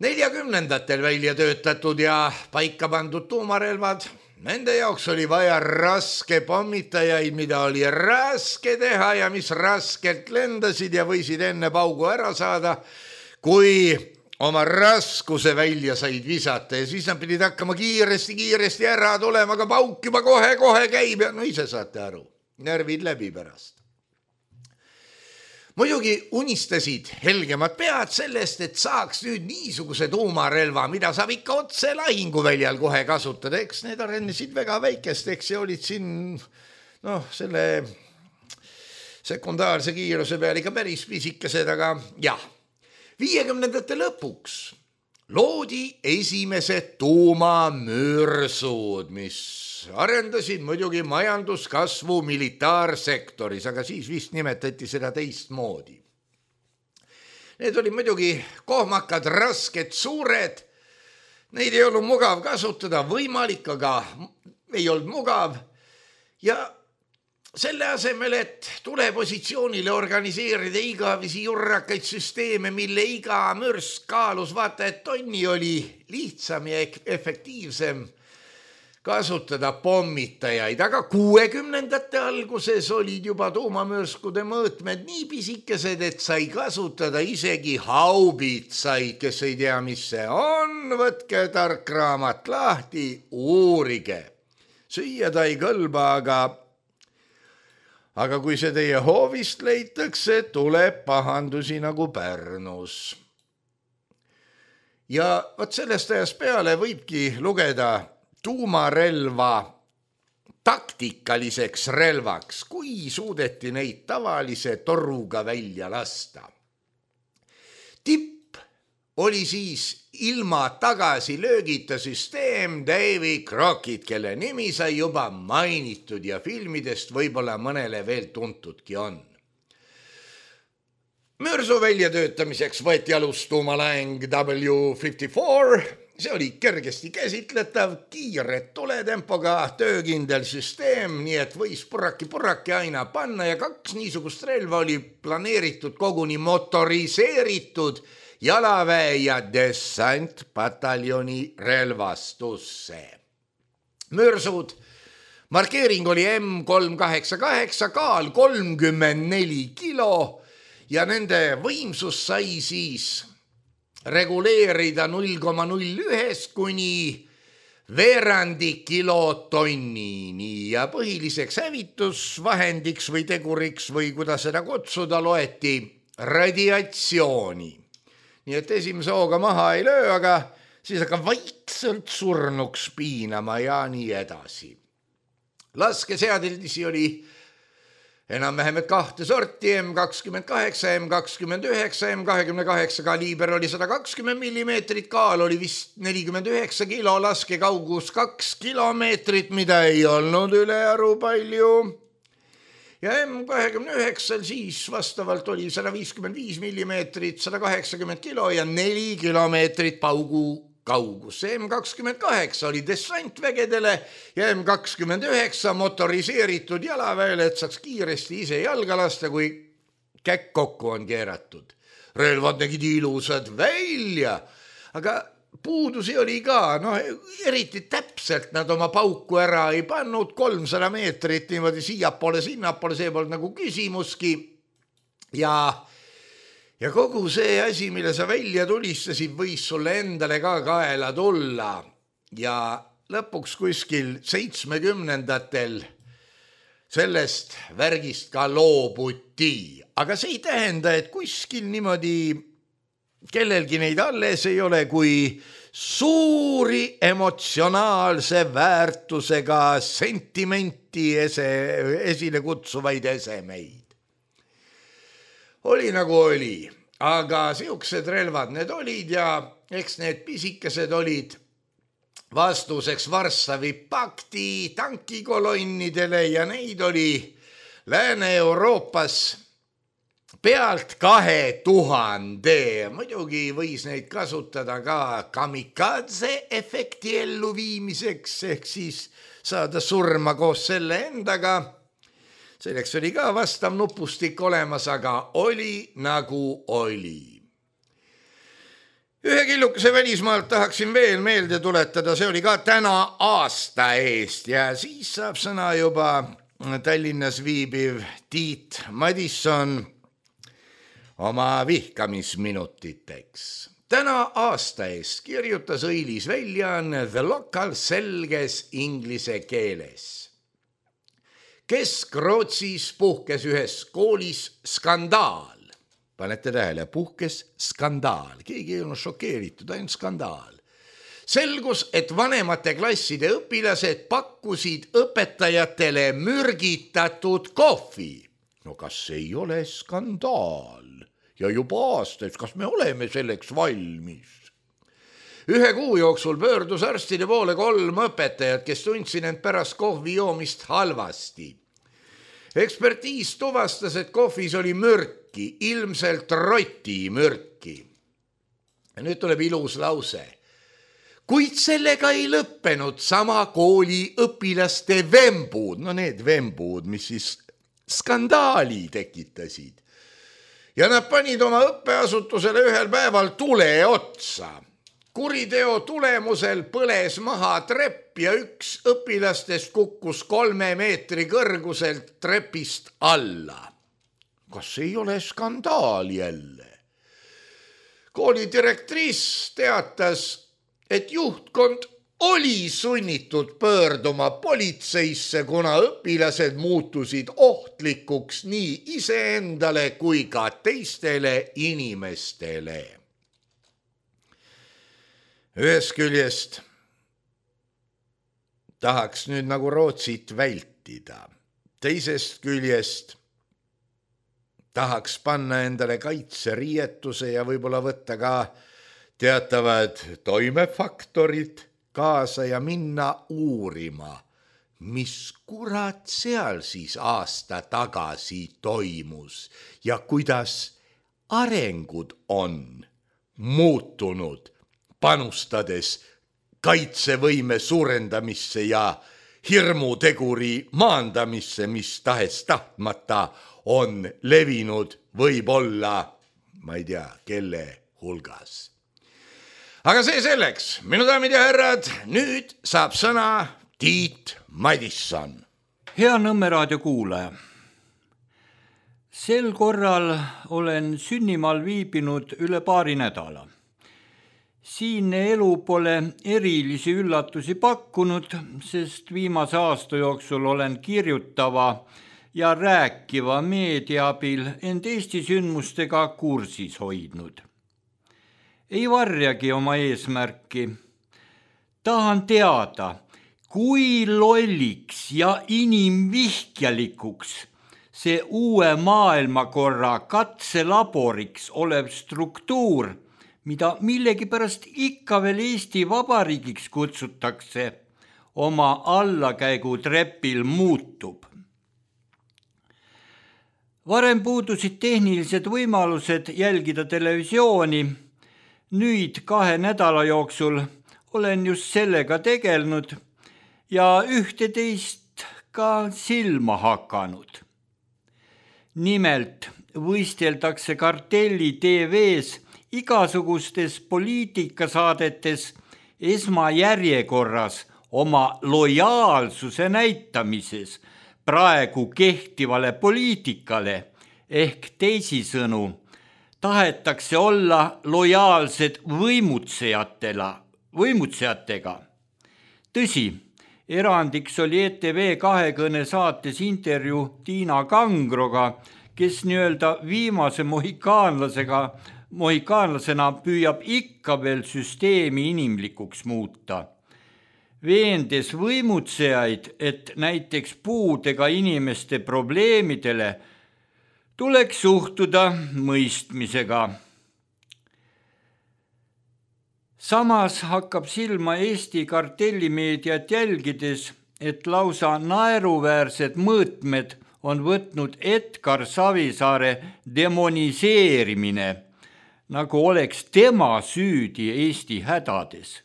neljakümnendatel välja töötatud ja paika pandud tuumarelvad, nende jaoks oli vaja raske pommitajaid, mida oli raske teha ja mis raskelt lendasid ja võisid enne paugu ära saada, kui oma raskuse välja said visata ja siis nad pidid hakkama kiiresti-kiiresti ära tulema, aga pauk juba kohe-kohe käib ja no ise saate aru, närvid läbi pärast. Muidugi unistasid helgemad pead sellest, et saaks nüüd niisuguse tuumarelva, mida saab ikka otse lahinguväljal kohe kasutada. Eks need arenesid väga väikesteks ja olid siin noh, selle sekundaarse kiiruse peal ikka päris pisikesed, aga jah. viiekümnendate lõpuks loodi esimesed tuumamürsud, mis arendasid muidugi majanduskasvu militaarsektoris, aga siis vist nimetati seda teistmoodi. Need olid muidugi kohmakad, rasked, suured. Neid ei olnud mugav kasutada, võimalik, aga ei olnud mugav. Ja selle asemel, et tulepositsioonile organiseerida igavisi jurrakaid süsteeme, mille iga mürsk kaalus vaata, et tonni oli lihtsam ja efektiivsem kasutada pommitajaid, aga kuuekümnendate alguses olid juba tuumamürskude mõõtmed nii pisikesed, et sai kasutada isegi haubitsaid, kes ei tea, mis see on, võtke tark raamat lahti, uurige. Süüa ta ei kõlba, aga Aga kui see teie hoovist leitakse, tuleb pahandusi nagu Pärnus. Ja võt sellest ajast peale võibki lugeda tuumarelva taktikaliseks relvaks, kui suudeti neid tavalise toruga välja lasta. Tipp oli siis ilma tagasi löögita süsteem Davy Crockett, kelle nimi sai juba mainitud ja filmidest võib-olla mõnele veel tuntudki on. Mürsu väljatöötamiseks võeti alus tuumalaeng W viiskümmend neli, see oli kergesti käsitletav, kiire tuletempoga, töökindel süsteem, nii et võis purraki-purraki aina panna ja kaks niisugust relva oli planeeritud koguni motoriseeritud jalaväe ja dessantpataljoni relvastusse. Mürsud, markeering oli M kolm kaheksakümmend kaheksa, kaal kolmkümmend neli kilo ja nende võimsus sai siis reguleerida null koma null üks kuni veerandi kilotonnini ja põhiliseks hävitusvahendiks või teguriks või kuidas seda kutsuda loeti radiatsiooni. Nii et esimese hooga maha ei löö, aga siis hakkab vaikselt surnuks piinama ja nii edasi. Laskeseadelisi oli enam-vähem kahte sorti, M kakskümmend kaheksa, M kakskümmend üheksa, M kakskümmend kaheksa kaliiber oli sada kakskümmend millimeetrit, kaal oli vist nelikümmend üheksa kilo, laskekaugus kaks kilomeetrit, mida ei olnud ülearu palju. Ja M kakskümmend üheksa siis vastavalt oli sada viiskümmend viis millimeetrit, sada kaheksakümmend kilo ja neli kilomeetrit paugu kaugus. M kakskümmend kaheksa oli dessantvägedele ja M kakskümmend üheksa motoriseeritud jalaväele, et saaks kiiresti ise jalga lasta, kui käkk kokku on keeratud. Relvad nägid ilusad välja, aga puudusi oli ka, no eriti täpselt nad oma pauku ära ei pannud, kolmsada meetrit niimoodi siiapoole, sinnapoole, see polnud nagu küsimuski ja Ja kogu see asi, mille sa välja tulistasid, võis sulle endale ka kaela tulla ja lõpuks kuskil seitsmekümnendatel sellest värgist ka loobuti. Aga see ei tähenda, et kuskil niimoodi kellelgi neid alles ei ole, kui suuri emotsionaalse väärtusega sentimenti ese, esile kutsuvaid esemeid. Oli nagu oli, aga siuksed relvad need olid ja eks need pisikesed olid vastuseks Varssavi pakti tankikolonnidele ja neid oli Lääne-Euroopas pealt kahe tuhande. Muidugi võis neid kasutada ka kamikaze efekti elluviimiseks ehk siis saada surma koos selle endaga. Selleks oli ka vastav nupustik olemas, aga oli nagu oli. Ühe killukese välismaalt tahaksin veel meelde tuletada, see oli ka täna aasta eest ja siis saab sõna juba Tallinnas viibiv Tiit Madisson oma vihkamisminutiteks. Täna aasta eest kirjutas õilis väljaanne The Local selges inglise keeles. Kesk-Rootsis puhkes ühes koolis skandaal. Panete tähele, puhkes skandaal. Keegi ei olnud šokeeritud, ainult skandaal. Selgus, et vanemate klasside õpilased pakkusid õpetajatele mürgitatud kohvi. No kas ei ole skandaal? Ja juba aastaid, kas me oleme selleks valmis? Ühe kuu jooksul pöördus arstide poole kolm õpetajat, kes tundsid end pärast kohvi joomist halvasti. Ekspertiis tuvastas, et kohvis oli mürki, ilmselt roti mürki. Ja nüüd tuleb ilus lause. Kuid sellega ei lõppenud sama kooli õpilaste vembud, no need vembud, mis siis skandaali tekitasid. Ja nad panid oma õppeasutusele ühel päeval tule otsa. Kuriteo tulemusel põles maha trepp ja üks õpilastest kukkus kolme meetri kõrguselt trepist alla. Kas ei ole skandaal jälle? Kooli direktriis teatas, et juhtkond oli sunnitud pöörduma politseisse, kuna õpilased muutusid ohtlikuks nii iseendale kui ka teistele inimestele. Ühest küljest tahaks nüüd nagu Rootsit vältida. Teisest küljest tahaks panna endale kaitseriietuse ja võib-olla võtta ka teatavad toimefaktorid kaasa ja minna uurima, mis kurat seal siis aasta tagasi toimus ja kuidas arengud on muutunud, panustades kaitsevõime suurendamisse ja hirmuteguri maandamisse, mis tahes tahtmata on levinud võib-olla, ma ei tea, kelle hulgas. Aga see selleks, minu daamid ja härrad, nüüd saab sõna Tiit Madisson. Hea Nõmme raadio kuulaja. Sel korral olen sünnimaal viibinud üle paari nädala. Siinne elu pole erilisi üllatusi pakkunud, sest viimase aasta jooksul olen kirjutava ja rääkiva meedia abil end Eesti sündmustega kursis hoidnud. Ei varjagi oma eesmärki. Tahan teada, kui lolliks ja inimvihkjalikuks see uue maailmakorra katselaboriks olev struktuur, mida millegipärast ikka veel Eesti Vabariigiks kutsutakse, oma allakäigu trepil muutub. Varem puudusid tehnilised võimalused jälgida televisiooni. Nüüd kahe nädala jooksul olen just sellega tegelnud ja ühteteist ka silma hakanud. Nimelt võisteldakse Kartelli T V-s igasugustes poliitikasaadetes esmajärjekorras oma lojaalsuse näitamises praegu kehtivale poliitikale ehk teisisõnu tahetakse olla lojaalsed võimutsejatela, võimutsejatega. Tõsi, erandiks oli E T V kahekõne saates intervjuu Tiina Kangroga, kes nii-öelda viimase mohikaanlasega, mohikaanlasena püüab ikka veel süsteemi inimlikuks muuta. Veendes võimutsejaid, et näiteks puudega inimeste probleemidele tuleks suhtuda mõistmisega. Samas hakkab silma Eesti kartellimeediat jälgides, et lausa naeruväärsed mõõtmed on võtnud Edgar Savisaare demoniseerimine, nagu oleks tema süüdi Eesti hädades.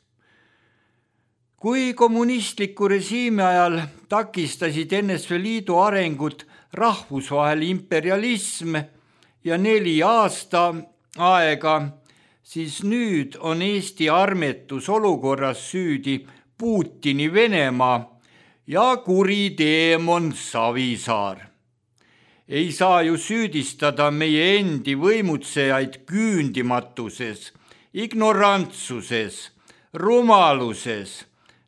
Kui kommunistliku režiimi ajal takistasid N S V Liidu arengut rahvusvahel imperialism ja neli aasta aega, siis nüüd on Eesti armetus olukorras süüdi Putini Venemaa ja kuri teemon Savisaar. Ei saa ju süüdistada meie endi võimutsejaid küündimatuses, ignorantsuses, rumaluses,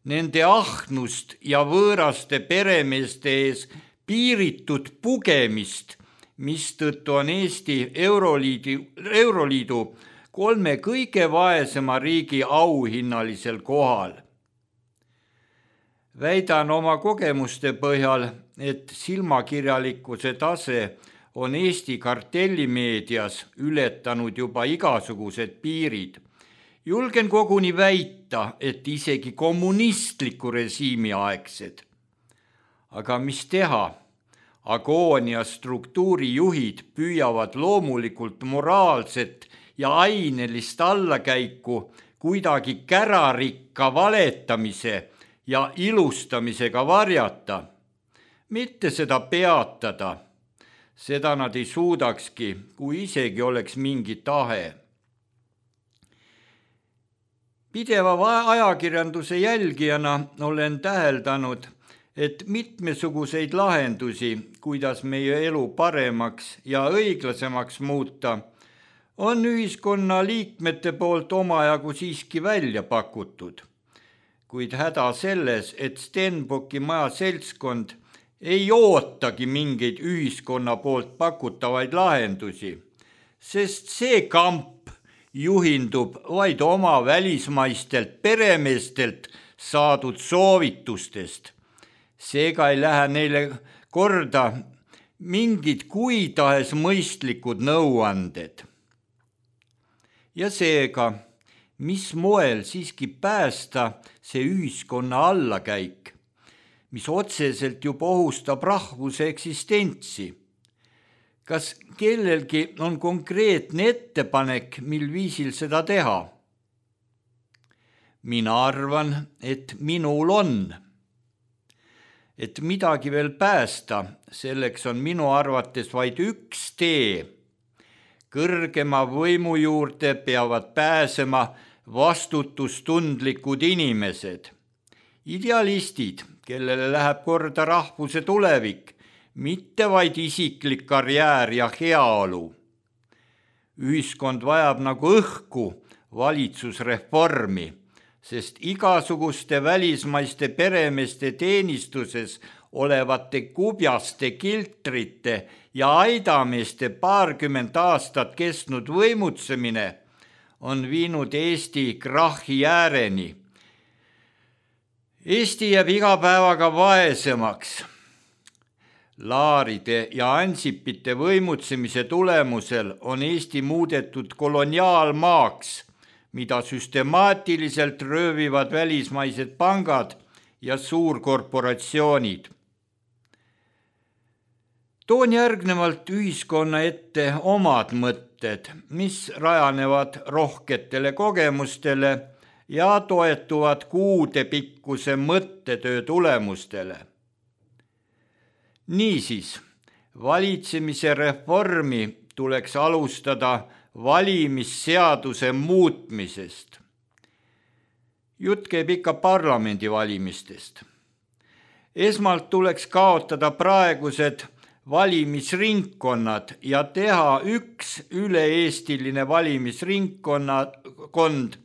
nende ahnust ja võõraste peremeeste ees piiritud pugemist, mistõttu on Eesti Euroliidu, Euroliidu kolme kõige vaesema riigi auhinnalisel kohal. Väidan oma kogemuste põhjal, et silmakirjalikkuse tase on Eesti kartellimeedias ületanud juba igasugused piirid. Julgen koguni väita, et isegi kommunistliku režiimi aegsed. Aga mis teha? Agoonia struktuurijuhid püüavad loomulikult moraalset ja ainelist allakäiku kuidagi kärarikka valetamise ja ilustamisega varjata, mitte seda peatada. Seda nad ei suudakski, kui isegi oleks mingi tahe. Pideva ajakirjanduse jälgijana olen täheldanud, et mitmesuguseid lahendusi, kuidas meie elu paremaks ja õiglasemaks muuta, on ühiskonna liikmete poolt omajagu siiski välja pakutud. Kuid häda selles, et Stenbocki maja seltskond ei ootagi mingeid ühiskonna poolt pakutavaid lahendusi, sest see kamp juhindub vaid oma välismaistelt peremeestelt saadud soovitustest. Seega ei lähe neile korda mingid kui tahes mõistlikud nõuanded. Ja seega, mis moel siiski päästa see ühiskonna allakäik, mis otseselt juba ohustab rahvuse eksistentsi? Kas kellelgi on konkreetne ettepanek, mil viisil seda teha? Mina arvan, et minul on. Et midagi veel päästa, selleks on minu arvates vaid üks tee. Kõrgema võimu juurde peavad pääsema vastutustundlikud inimesed. Idealistid, kellele läheb korda rahvuse tulevik, mitte vaid isiklik karjäär ja heaolu. Ühiskond vajab nagu õhku valitsusreformi, sest igasuguste välismaiste peremeeste teenistuses olevate kubjaste kiltrite ja aidameeste paarkümmend aastat kestnud võimutsemine on viinud Eesti krahhi ääreni. Eesti jääb iga päevaga vaesemaks. Laaride ja Ansipite võimutsemise tulemusel on Eesti muudetud koloniaalmaaks, mida süstemaatiliselt röövivad välismaised pangad ja suurkorporatsioonid. Toon järgnevalt ühiskonna ette omad mõtted, mis rajanevad rohketele kogemustele ja toetuvad kuude pikkuse mõttetöö tulemustele. Niisiis, valitsemise reformi tuleks alustada valimisseaduse muutmisest. Jutt käib ikka parlamendi valimistest. Esmalt tuleks kaotada praegused valimisringkonnad ja teha üks üle-eestiline valimisringkond,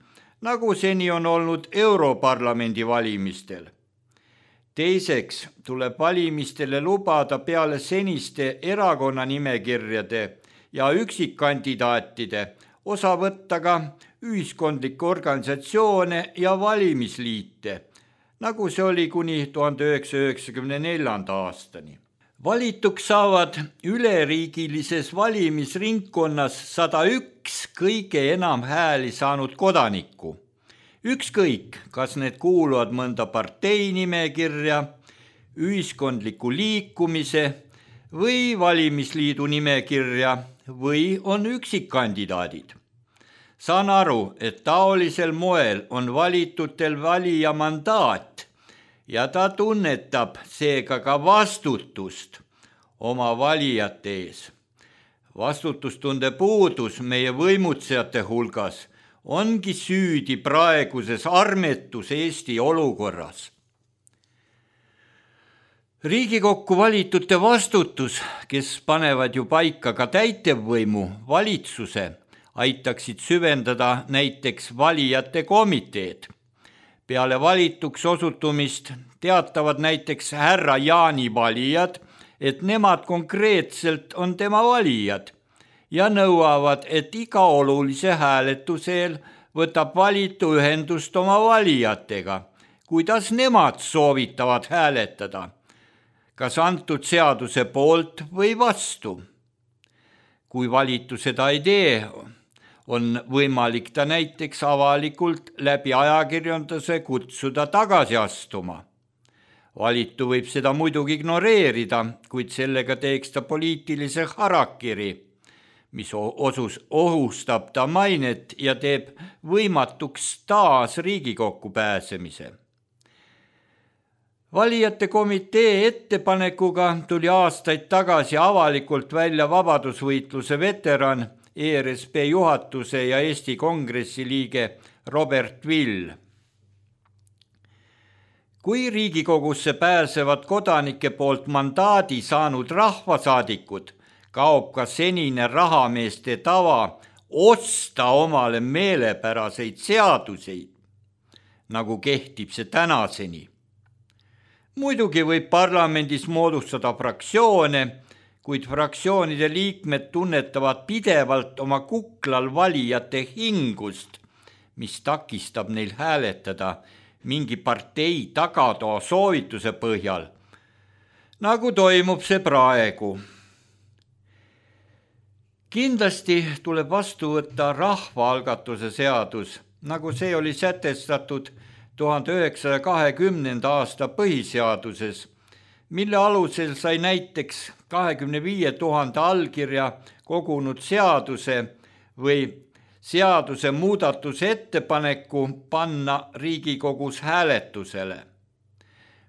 nagu seni on olnud Europarlamendi valimistel. Teiseks tuleb valimistele lubada peale seniste erakonnanimekirjade ja üksikkandidaatide osa võtta ka ühiskondlikke organisatsioone ja valimisliite, nagu see oli kuni tuhande üheksasaja üheksakümne neljanda aastani. Valituks saavad üleriigilises valimisringkonnas sada üks kõige enam hääli saanud kodanikku. Ükskõik, kas need kuuluvad mõnda parteinimekirja, ühiskondliku liikumise või valimisliidu nimekirja või on üksikkandidaadid. Saan aru, et taolisel moel on valitutel valija mandaat ja ta tunnetab seega ka vastutust oma valijate ees. Vastutustunde puudus meie võimutsejate hulgas ongi süüdi praeguses armetus Eesti olukorras. Riigikokku valitute vastutus, kes panevad ju paika ka täitevvõimu, valitsuse, aitaksid süvendada näiteks valijate komiteed. Peale valituks osutumist teatavad näiteks härra Jaani valijad, et nemad konkreetselt on tema valijad ja nõuavad, et iga olulise hääletusel võtab valitu ühendust oma valijatega, kuidas nemad soovitavad hääletada, kas antud seaduse poolt või vastu. Kui valitu seda ei tee, on võimalik ta näiteks avalikult läbi ajakirjanduse kutsuda tagasi astuma. Valitu võib seda muidugi ignoreerida, kuid sellega teeks ta poliitilise harakiri, mis osus ohustab ta mainet ja teeb võimatuks taas Riigikokku pääsemise. Valijate komitee ettepanekuga tuli aastaid tagasi avalikult välja vabadusvõitluse veteran, E R S P juhatuse ja Eesti Kongressi liige Robert Vill. Kui Riigikogusse pääsevad kodanike poolt mandaadi saanud rahvasaadikud, kaob ka senine rahameeste tava osta omale meelepäraseid seaduseid, nagu kehtib see tänaseni. Muidugi võib parlamendis moodustada fraktsioone, kuid fraktsioonide liikmed tunnetavad pidevalt oma kuklal valijate hingust, mis takistab neil hääletada mingi partei tagatoa soovituse põhjal, nagu toimub see praegu. Kindlasti tuleb vastu võtta rahvaalgatuse seadus, nagu see oli sätestatud tuhande üheksasaja kahekümnenda aasta põhiseaduses, mille alusel sai näiteks kahekümne viie tuhande allkirja kogunud seaduse või seaduse muudatuse ettepaneku panna Riigikogus hääletusele.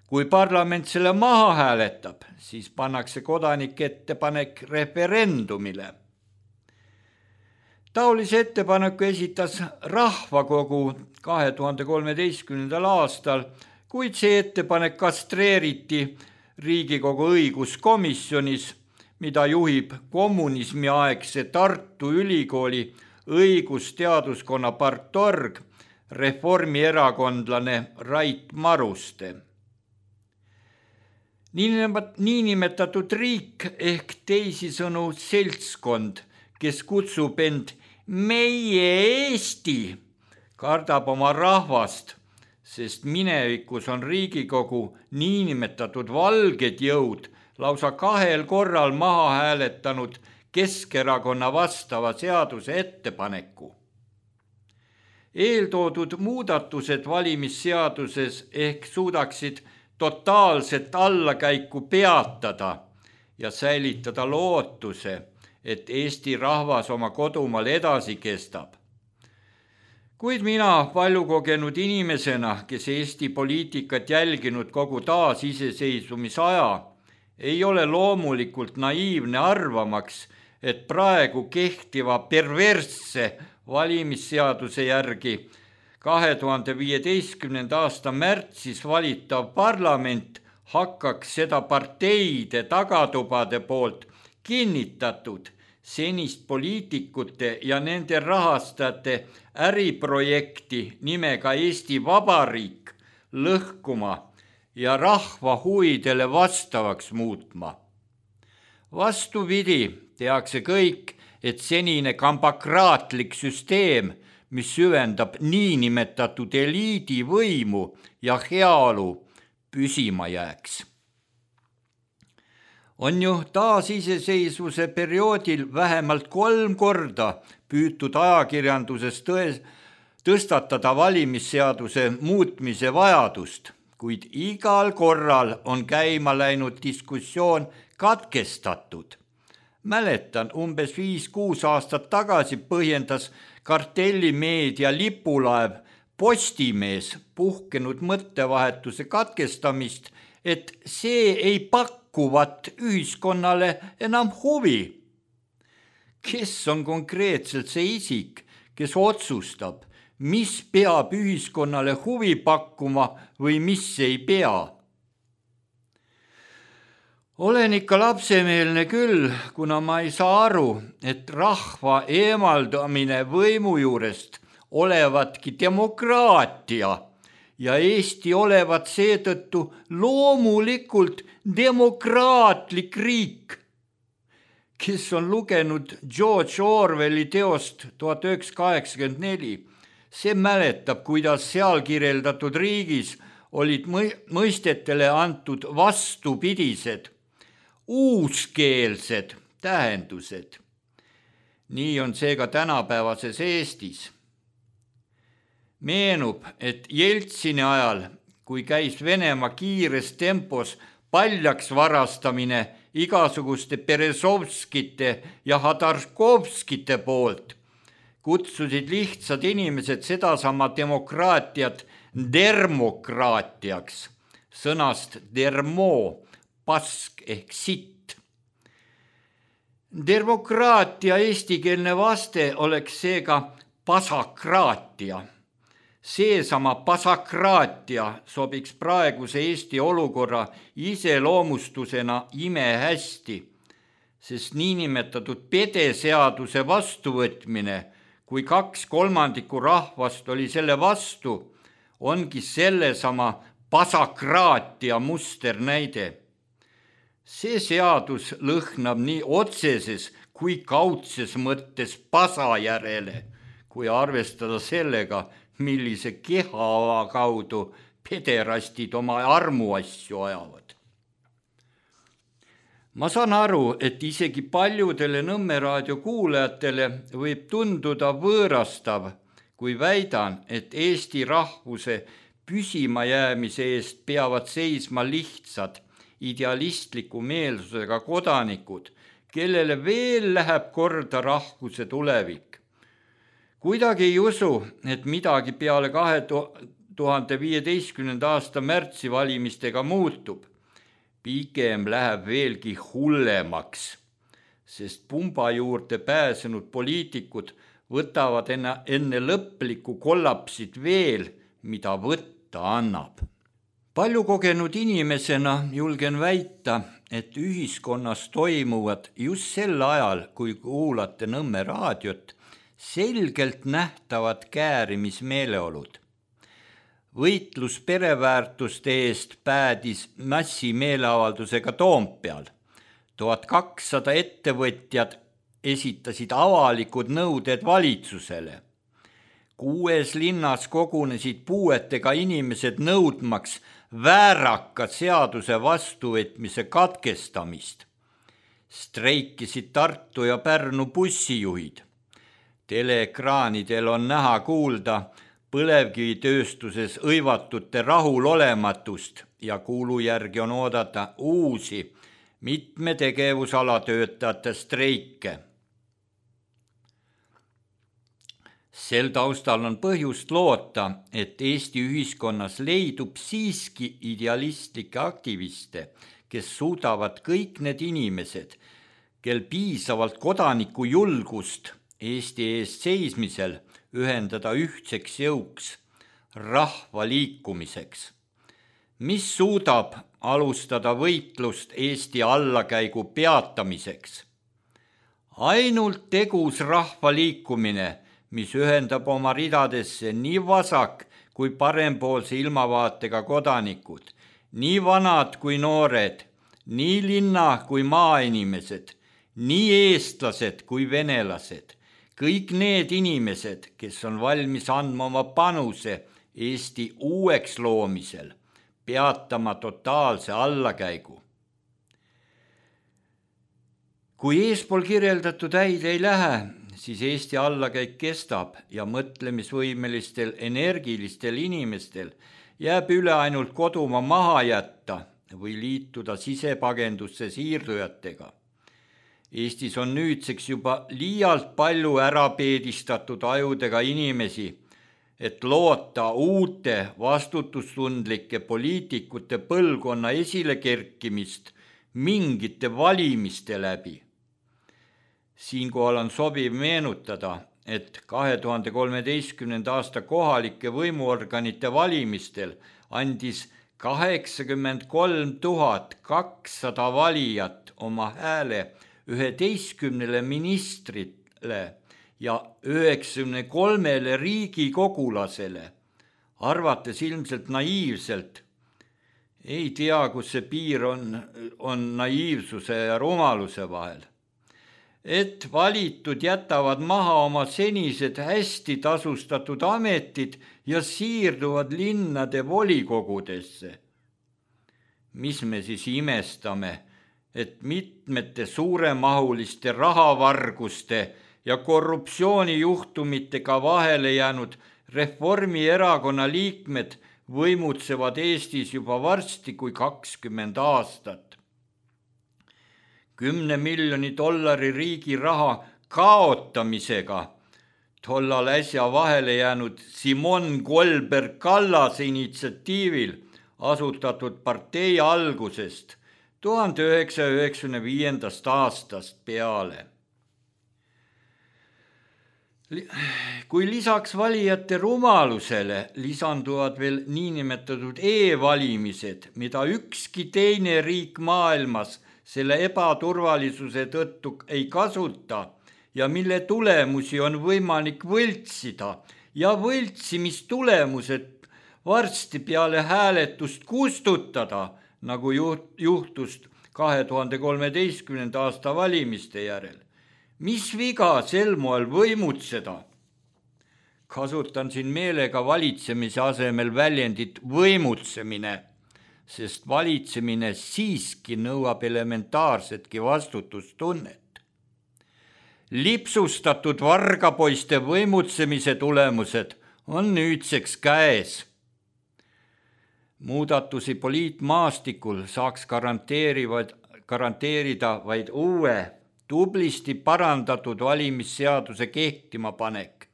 Kui parlament selle maha hääletab, siis pannakse kodanike ettepanek referendumile. Taolise ettepaneku esitas Rahvakogu kahe tuhande kolmeteistkümnendal aastal, kuid see ettepanek kastreeriti Riigikogu õiguskomisjonis, mida juhib kommunismiaegse Tartu Ülikooli õigusteaduskonna partorg, reformierakondlane Rait Maruste. Niinimetatud riik ehk teisisõnu seltskond, kes kutsub end meie Eesti, kardab oma rahvast, sest minevikus on Riigikogu niinimetatud valged jõud lausa kahel korral maha hääletanud Keskerakonna vastava seaduse ettepaneku. Eeltoodud muudatused valimisseaduses ehk suudaksid totaalset allakäiku peatada ja säilitada lootuse, et Eesti rahvas oma kodumaal edasi kestab. Kuid mina paljukogenud inimesena, kes Eesti poliitikat jälginud kogu taasiseseisvumisaja, ei ole loomulikult naiivne arvamaks, et praegu kehtiva perversse valimisseaduse järgi kahe tuhande viieteistkümnenda aasta märtsis valitav parlament hakkaks seda parteide tagatubade poolt kinnitatud senist poliitikute ja nende rahastajate äriprojekti nimega Eesti Vabariik lõhkuma ja rahva huvidele vastavaks muutma. Vastupidi, tehakse kõik, et senine kambakraatlik süsteem, mis süvendab niinimetatud eliidi võimu ja heaolu, püsima jääks. On ju taasiseseisvuse perioodil vähemalt kolm korda püütud ajakirjanduses tões, tõstatada valimisseaduse muutmise vajadust, kuid igal korral on käima läinud diskussioon katkestatud. Mäletan, umbes viis-kuus aastat tagasi põhjendas kartellimeedia lipulaev Postimees puhkenud mõttevahetuse katkestamist, et see ei pakkuvat ühiskonnale enam huvi. Kes on konkreetselt see isik, kes otsustab, mis peab ühiskonnale huvi pakkuma või mis ei pea? Olen ikka lapsemeelne küll, kuna ma ei saa aru, et rahva eemaldamine võimu juurest olevatki demokraatia ja Eesti olevat seetõttu loomulikult demokraatlik riik. Kes on lugenud George Orwelli teost tuhat üheksasada kaheksakümmend neli, see mäletab, kuidas seal kirjeldatud riigis olid mõistetele antud vastupidised, uuskeelsed tähendused. Nii on see ka tänapäevases Eestis. Meenub, et Jeltsini ajal, kui käis Venemaa kiires tempos paljaks varastamine igasuguste Berezovskite ja Hadarkovskite poolt, kutsusid lihtsad inimesed sedasama demokraatiat dermokraatiaks, sõnast dermo, pask ehk sitt. Demokraatia eestikeelne vaste oleks seega pasakraatia. Seesama pasakraatia sobiks praeguse Eesti olukorra iseloomustusena imehästi, sest niinimetatud pedeseaduse vastuvõtmine, kui kaks kolmandikku rahvast oli selle vastu, ongi sellesama pasakraatia musternäide. See seadus lõhnab nii otseses kui kaudses mõttes pasa järele, kui arvestada sellega, millise keha kaudu pederastid oma armuasju ajavad. Ma saan aru, et isegi paljudele Nõmme raadio kuulajatele võib tunduda võõrastav, kui väidan, et Eesti rahvuse püsima jäämise eest peavad seisma lihtsad, idealistliku meelsusega kodanikud, kellele veel läheb korda rahvuse tulevik. Kuidagi ei usu, et midagi peale kahe tuhande viieteistkümnenda aasta märtsi valimistega muutub. Pigem läheb veelgi hullemaks, sest pumba juurde pääsenud poliitikud võtavad enne lõplikku kollapsit veel, mida võtta annab. Palju kogenud inimesena julgen väita, et ühiskonnas toimuvad just sel ajal, kui kuulate Nõmme raadiot, selgelt nähtavad käärimismeeleolud. Võitlus pereväärtuste eest päädis massimeeleavaldusega Toompeal. tuhat kakssada ettevõtjad esitasid avalikud nõuded valitsusele. Kuues linnas kogunesid puuetega inimesed nõudmaks vääraka seaduse vastuvõtmise katkestamist. Streikisid Tartu ja Pärnu bussijuhid. Teleekraanidel on näha kuulda põlevkivitööstuses õivatute rahulolematust ja kuulu järgi on oodata uusi mitme tegevusala töötajate streike. Sel taustal on põhjust loota, et Eesti ühiskonnas leidub siiski idealistlikke aktiviste, kes suudavad kõik need inimesed, kel piisavalt kodaniku julgust Eesti eest seismisel ühendada ühtseks jõuks, rahva liikumiseks, mis suudab alustada võitlust Eesti allakäigu peatamiseks. Ainult tegus rahva liikumine, mis ühendab oma ridadesse nii vasak kui parempoolse ilmavaatega kodanikud, nii vanad kui noored, nii linna kui maainimesed, nii eestlased kui venelased, kõik need inimesed, kes on valmis andma oma panuse Eesti uueks loomisel, peatama totaalse allakäigu. Kui eespool kirjeldatud häid ei lähe, siis Eesti allakäik kestab ja mõtlemisvõimelistel energilistel inimestel jääb üle ainult kodumaa maha jätta või liituda sisepagendusse siirdujatega. Eestis on nüüdseks juba liialt palju ära peedistatud ajudega inimesi, et loota uute vastutustundlike poliitikute põlvkonna esile kerkimist mingite valimiste läbi. Siinkohal on sobiv meenutada, et kahe tuhande kolmeteistkümnenda aasta kohalike võimuorganite valimistel andis kaheksakümmend kolm tuhat kakssada valijat oma hääle üheteistkümnele ministrile ja üheksakümne kolmele riigikogulasele, arvates ilmselt naiivselt. Ei tea, kus see piir on, on naiivsuse ja rumaluse vahel. Et valitud jätavad maha oma senised hästi tasustatud ametid ja siirduvad linnade volikogudesse. Mis me siis imestame, et mitmete suuremahuliste rahavarguste ja korruptsioonijuhtumitega vahele jäänud Reformierakonna liikmed võimutsevad Eestis juba varsti kui kakskümmend aastat. Kümne miljoni dollari riigi raha kaotamisega tollal äsja vahele jäänud Simon Kolberg-Kallase initsiatiivil asutatud partei algusest tuhande üheksasaja üheksakümne viiendast aastast peale. Kui lisaks valijate rumalusele lisanduvad veel niinimetatud e-valimised, mida ükski teine riik maailmas selle ebaturvalisuse tõttu ei kasuta ja mille tulemusi on võimalik võltsida ja võltsimistulemused varsti peale hääletust kustutada, nagu juhtus kahe tuhande kolmeteistkümnenda aasta valimiste järel. Mis viga sel moel võimutseda? Kasutan siin meelega valitsemise asemel väljendit võimutsemine, sest valitsemine siiski nõuab elementaarsetki vastutustunnet. Lipsustatud vargapoiste võimutsemise tulemused on nüüdseks käes. Muudatusi poliitmaastikul saaks garanteerida vaid uue, tublisti parandatud valimisseaduse kehtima panek.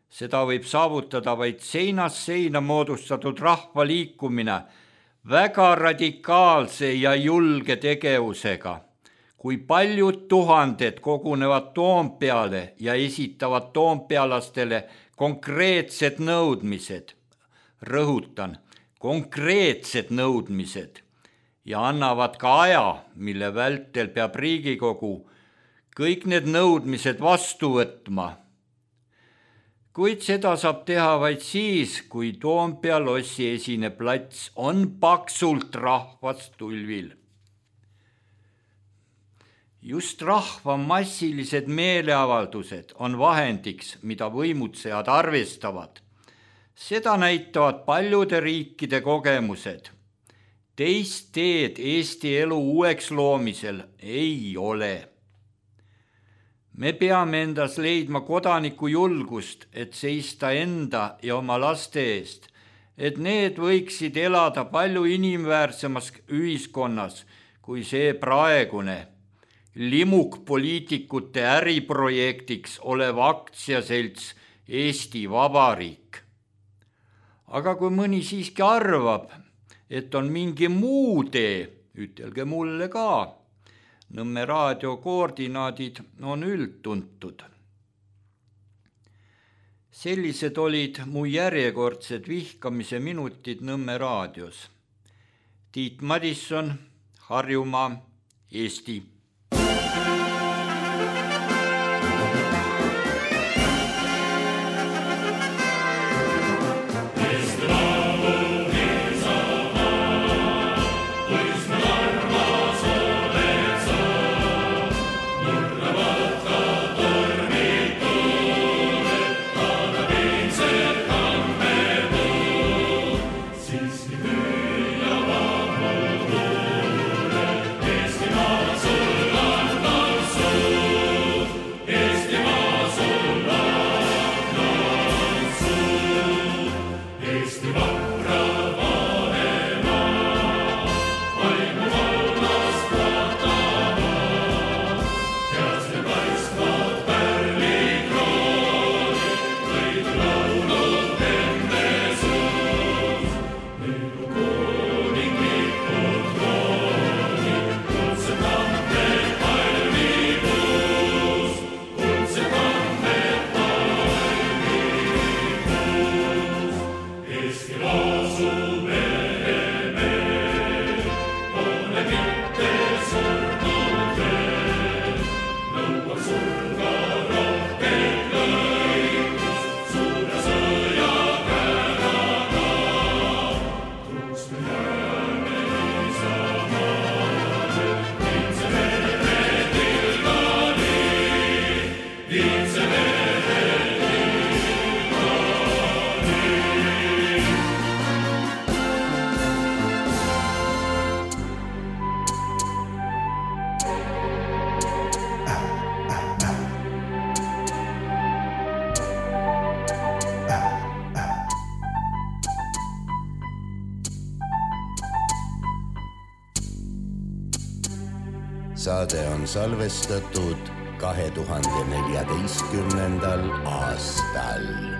Seda võib saavutada vaid seinast seina moodustatud rahvaliikumine väga radikaalse ja julge tegevusega. Kui paljud tuhanded kogunevad Toompeale ja esitavad toompealastele konkreetsed nõudmised. Rõhutan, konkreetsed nõudmised ja annavad ka aja, mille vältel peab Riigikogu kõik need nõudmised vastu võtma. Kuid seda saab teha vaid siis, kui Toompea lossi esine plats on paksult rahvast tulvil. Just rahva massilised meeleavaldused on vahendiks, mida võimutsejad arvestavad. Seda näitavad paljude riikide kogemused. Teist teed Eesti elu uueks loomisel ei ole. Me peame endas leidma kodaniku julgust, et seista enda ja oma laste eest, et need võiksid elada palju inimväärsemas ühiskonnas kui see praegune limuk poliitikute äriprojektiks olev aktsiaselts Eesti Vabariik. Aga kui mõni siiski arvab, et on mingi muu tee, ütelge mulle ka. Nõmme raadio koordinaadid on üldtuntud. Sellised olid mu järjekordsed vihkamise minutid Nõmme raadios. Tiit Madisson, Harjumaa, Eesti. Saade on salvestatud kahe tuhande neljateistkümnendal aastal.